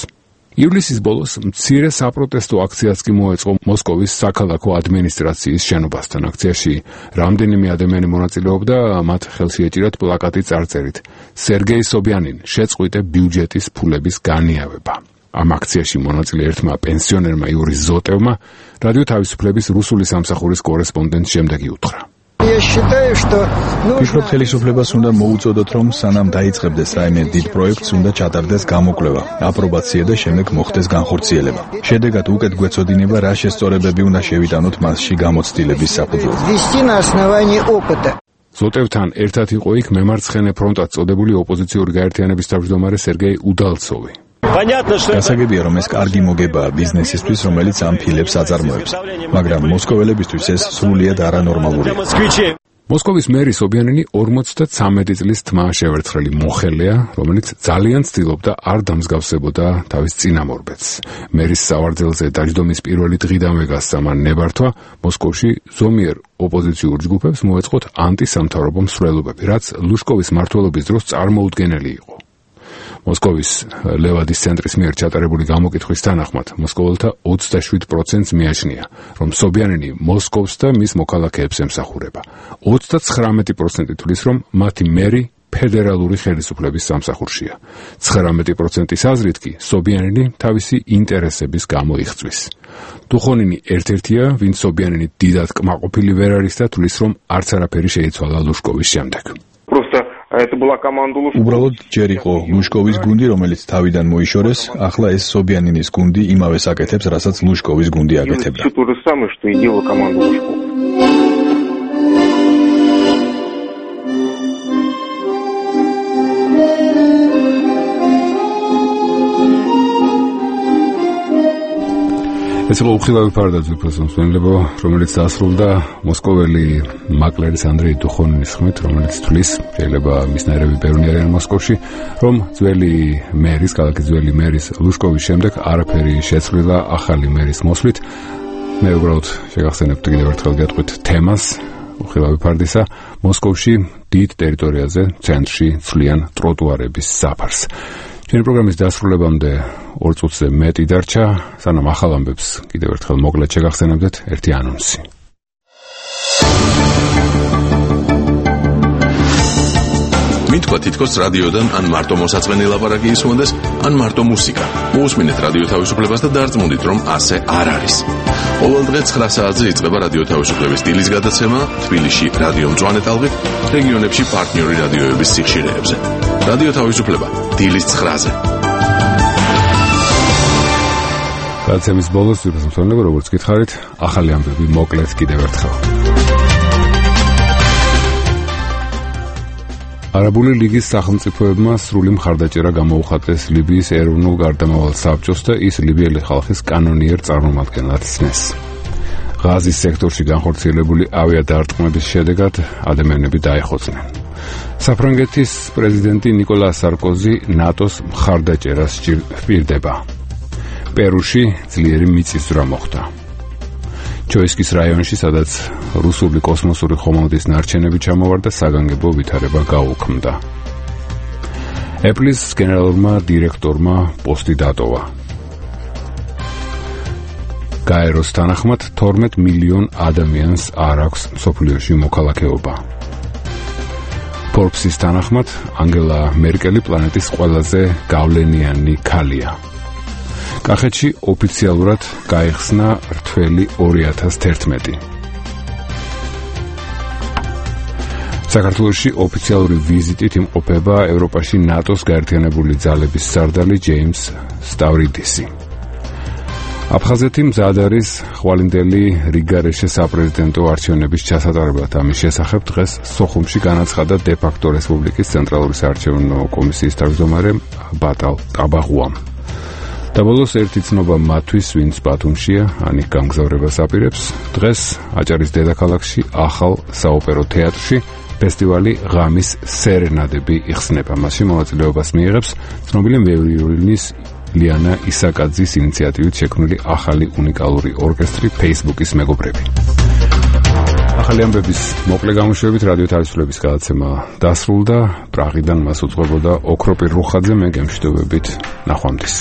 ივლისის ბოლოს მცირე საპროტესტო აქციაც კი მოეწყო მოსკოვის საქალაქო ადმინისტრაციის შენობასთან. აქციაში რამდენიმე ადამიანი მონაწილეობდა, მათ ხელში ეჭირათ პლაკატი წარწერით სერგეი სობიანინ შეწყვიტე ბიუჯეტის ფულების განიავება. ამ აქციაში მონაწილე ერთმა პენსიონერმა იური ზოტევმა რადიო თავისუფლების რუსული სამსახურის კორესპონდენტს შემდეგი უთხრა. ფიქრობ, ხელისუფლებას უნდა მოუწოდოთ, რომ სანამ დაიწყებდეს რაიმე დიდ პროექტს, უნდა ჩატარდეს გამოკვლევა, აპრობაცია და შემდეგ მოხდეს განხორციელება. შედეგად უკეთ გვეცოდინება, რა შესწორებები უნდა შევიტანოთ მასში გამოცდილების საფუძველზე. ზოტევთან ერთად იყო იქ მემარცხენე ფრონტად წოდებული ოპოზიციური გაერთიანების თავმჯდომარე სერგეი უდალცოვი. გასაგებია, რომ ეს კარგი მოგებაა ბიზნესისთვის, რომელიც ამ ფილებს აწარმოებს, მაგრამ მოსკოველებისთვის ეს სრულიად არანორმალურია. მოსკოვის მერი სობიანინი 53 წლის თმა შევერცხრელი მოხელეა, რომელიც ძალიან ცდილობდა არ დამსგავსებოდა თავის წინამორბედს. მერის სავარძელზე დაჯდომის პირველი დღიდანვე გასცამა ნებართვა მოსკოვში ზომიერ ოპოზიციურ ჯგუფებს მოეწყოთ ანტისამთავრობო მსვლელობები, რაც ლუშკოვის მმართველობის დროს წარმოუდგენელი იყო. მოსკოვის ლევადის ცენტრის მიერ ჩატარებული გამოკითხვის თანახმად მოსკოველთა 27%-ს მიაჩნია, რომ სობიანინი მოსკოვს და მის მოქალაქეებს ემსახურება. 39% თვლის, რომ მათი მერი ფედერალური ხელისუფლების სამსახურშია. 19%-ის აზრით კი სობიანინი თავისი ინტერესების გამო იღწვის. დუხონინი ერთ-ერთია, ვინც სობიანინი დიდად კმაყოფილი ვერ არის და თვლის, რომ არც არაფერი შეიცვალა ლუშკოვის შემდეგ. უბრალოდ ჯერ იყო ლუშკოვის გუნდი, რომელიც თავიდან მოიშორეს, ახლა ეს სობიანინის გუნდი იმავეს აკეთებს, რასაც ლუშკოვის გუნდი აკეთებდა. ეს იყო უხილავი ფარდაძე პრესონსმენლებო, რომელიც დასრულდა მოსკოველი მაკლერის ანდრეი დუხონინის ხმით, რომელიც თვლის, შეიძლება მისნაირები ბევრი არიან მოსკოვში, რომ ძველი მერის, ქალაქის ძველი მერის ლუშკოვის შემდეგ არაფერი შეცვლილა ახალი მერის მოსვლით. მე უბრალოდ შეგახსენებთ კიდევ ერთხელ გეტყვით თემას უხილავი ფარდისა, მოსკოვში დიდ ტერიტორიაზე ცენტრში ცვლიან ტროტუარების საფარს. ჩვენი პროგრამის დასრულებამდე 2 წუთზე მეტი დარჩა, სანამ ახალ ამბებს კიდევ ერთხელ მოკლედ შეგახსენებდეთ ერთი ანონსი. მითქვა თითქოს რადიოდან ან მარტო მოსაწყენი ლაპარაკი ისმონდეს, ან მარტო მუსიკა. მოусმინეთ რადიო თავისუფლებას და დარწმუნდით, რომ ასე არ არის. ყოველ დღე 9 საათზე იწყება რადიო თავისუფლების დილის გადაცემა თბილისში რადიო მწვანე ტალღით, რეგიონებში პარტნიორი რადიოების სიხშირეებზე. რადიო თავისუფლება დილის 9-ზე. გადაცემის ბოლოს ვიფასებთ, როგორც გითხარით, ახალი ამბები მოკლედ კიდევ ერთხელ. არაბული ლიგის სახელმწიფოებმა სრული მხარდაჭერა გამოუხატეს ლიბიის ეროვნულ გარდამავალ საბჭოს და ის ლიბიელი ხალხის კანონიერ წარმომადგენლად ცნეს. ღაზის სექტორში განხორციელებული ავიადარტყმების შედეგად ადამიანები დაიხოცნენ. საფრანგეთის პრეზიდენტი ნიკოლა სარკოზი ნატოს მხარდაჭერას სჭირდება. პერუში ძლიერი მიწისძვრა მოხდა. ჩოისკის რაიონში, სადაც რუსული კოსმოსური ხომალდის ნარჩენები ჩამოვარდა, საგანგებო ვითარება გაუქმდა. Apple-ის გენერალურმა დირექტორმა პოსტი დატოვა. გაეროს თანახმად 12 მილიონ ადამიანს არ აქვს მსოფლიოში მოქალაქეობა. Forbes-ის თანახმად ანგელა მერკელი პლანეტის ყველაზე გავლენიანი ქალია. კახეთში ოფიციალურად გაიხსნა რთველი 2011. საქართველოში ოფიციალური ვიზიტით იმყოფება ევროპაში ნატოს გაერთიანებული ძალების სარდალი ჯეიმს სტავრიდისი. აფხაზეთი მზად არის ხვალინდელი რიგარეშე sapprezidento არჩევნების ჩასატარებლად. ამის შესახებ დღეს სოხუმში განაცხადა დე-ფაქტო რესპუბლიკის ცენტრალური საარჩევნო კომისიის თავმჯდომარე ბატალ ტაბაღუამ. და ბოლოს ერთი ცნობა მათთვის, ვინც ბათუმშია, ანიკ გამგზავრებას აპირებს. დღეს აჭარის დედაქალაქში ახალ საოპერო თეატრში ფესტივალი ღამის სერენადები იხსნება. მასში მონაწილეობას მიიღებს ცნობილი ვიოლინის ლიანა ისაკაძის ინიციატივით შექმნილი ახალი უნიკალური ორკესტრი Facebook-ის მეგობრები. ახალი ამბების მოკლე გამოშვებით რადიო თავისუფლების გადაცემა დასრულდა. პრაღიდან მას უძღვებოდა ოქროპირ რუხაძე. მე გემშვიდობებით, ნახვამდის.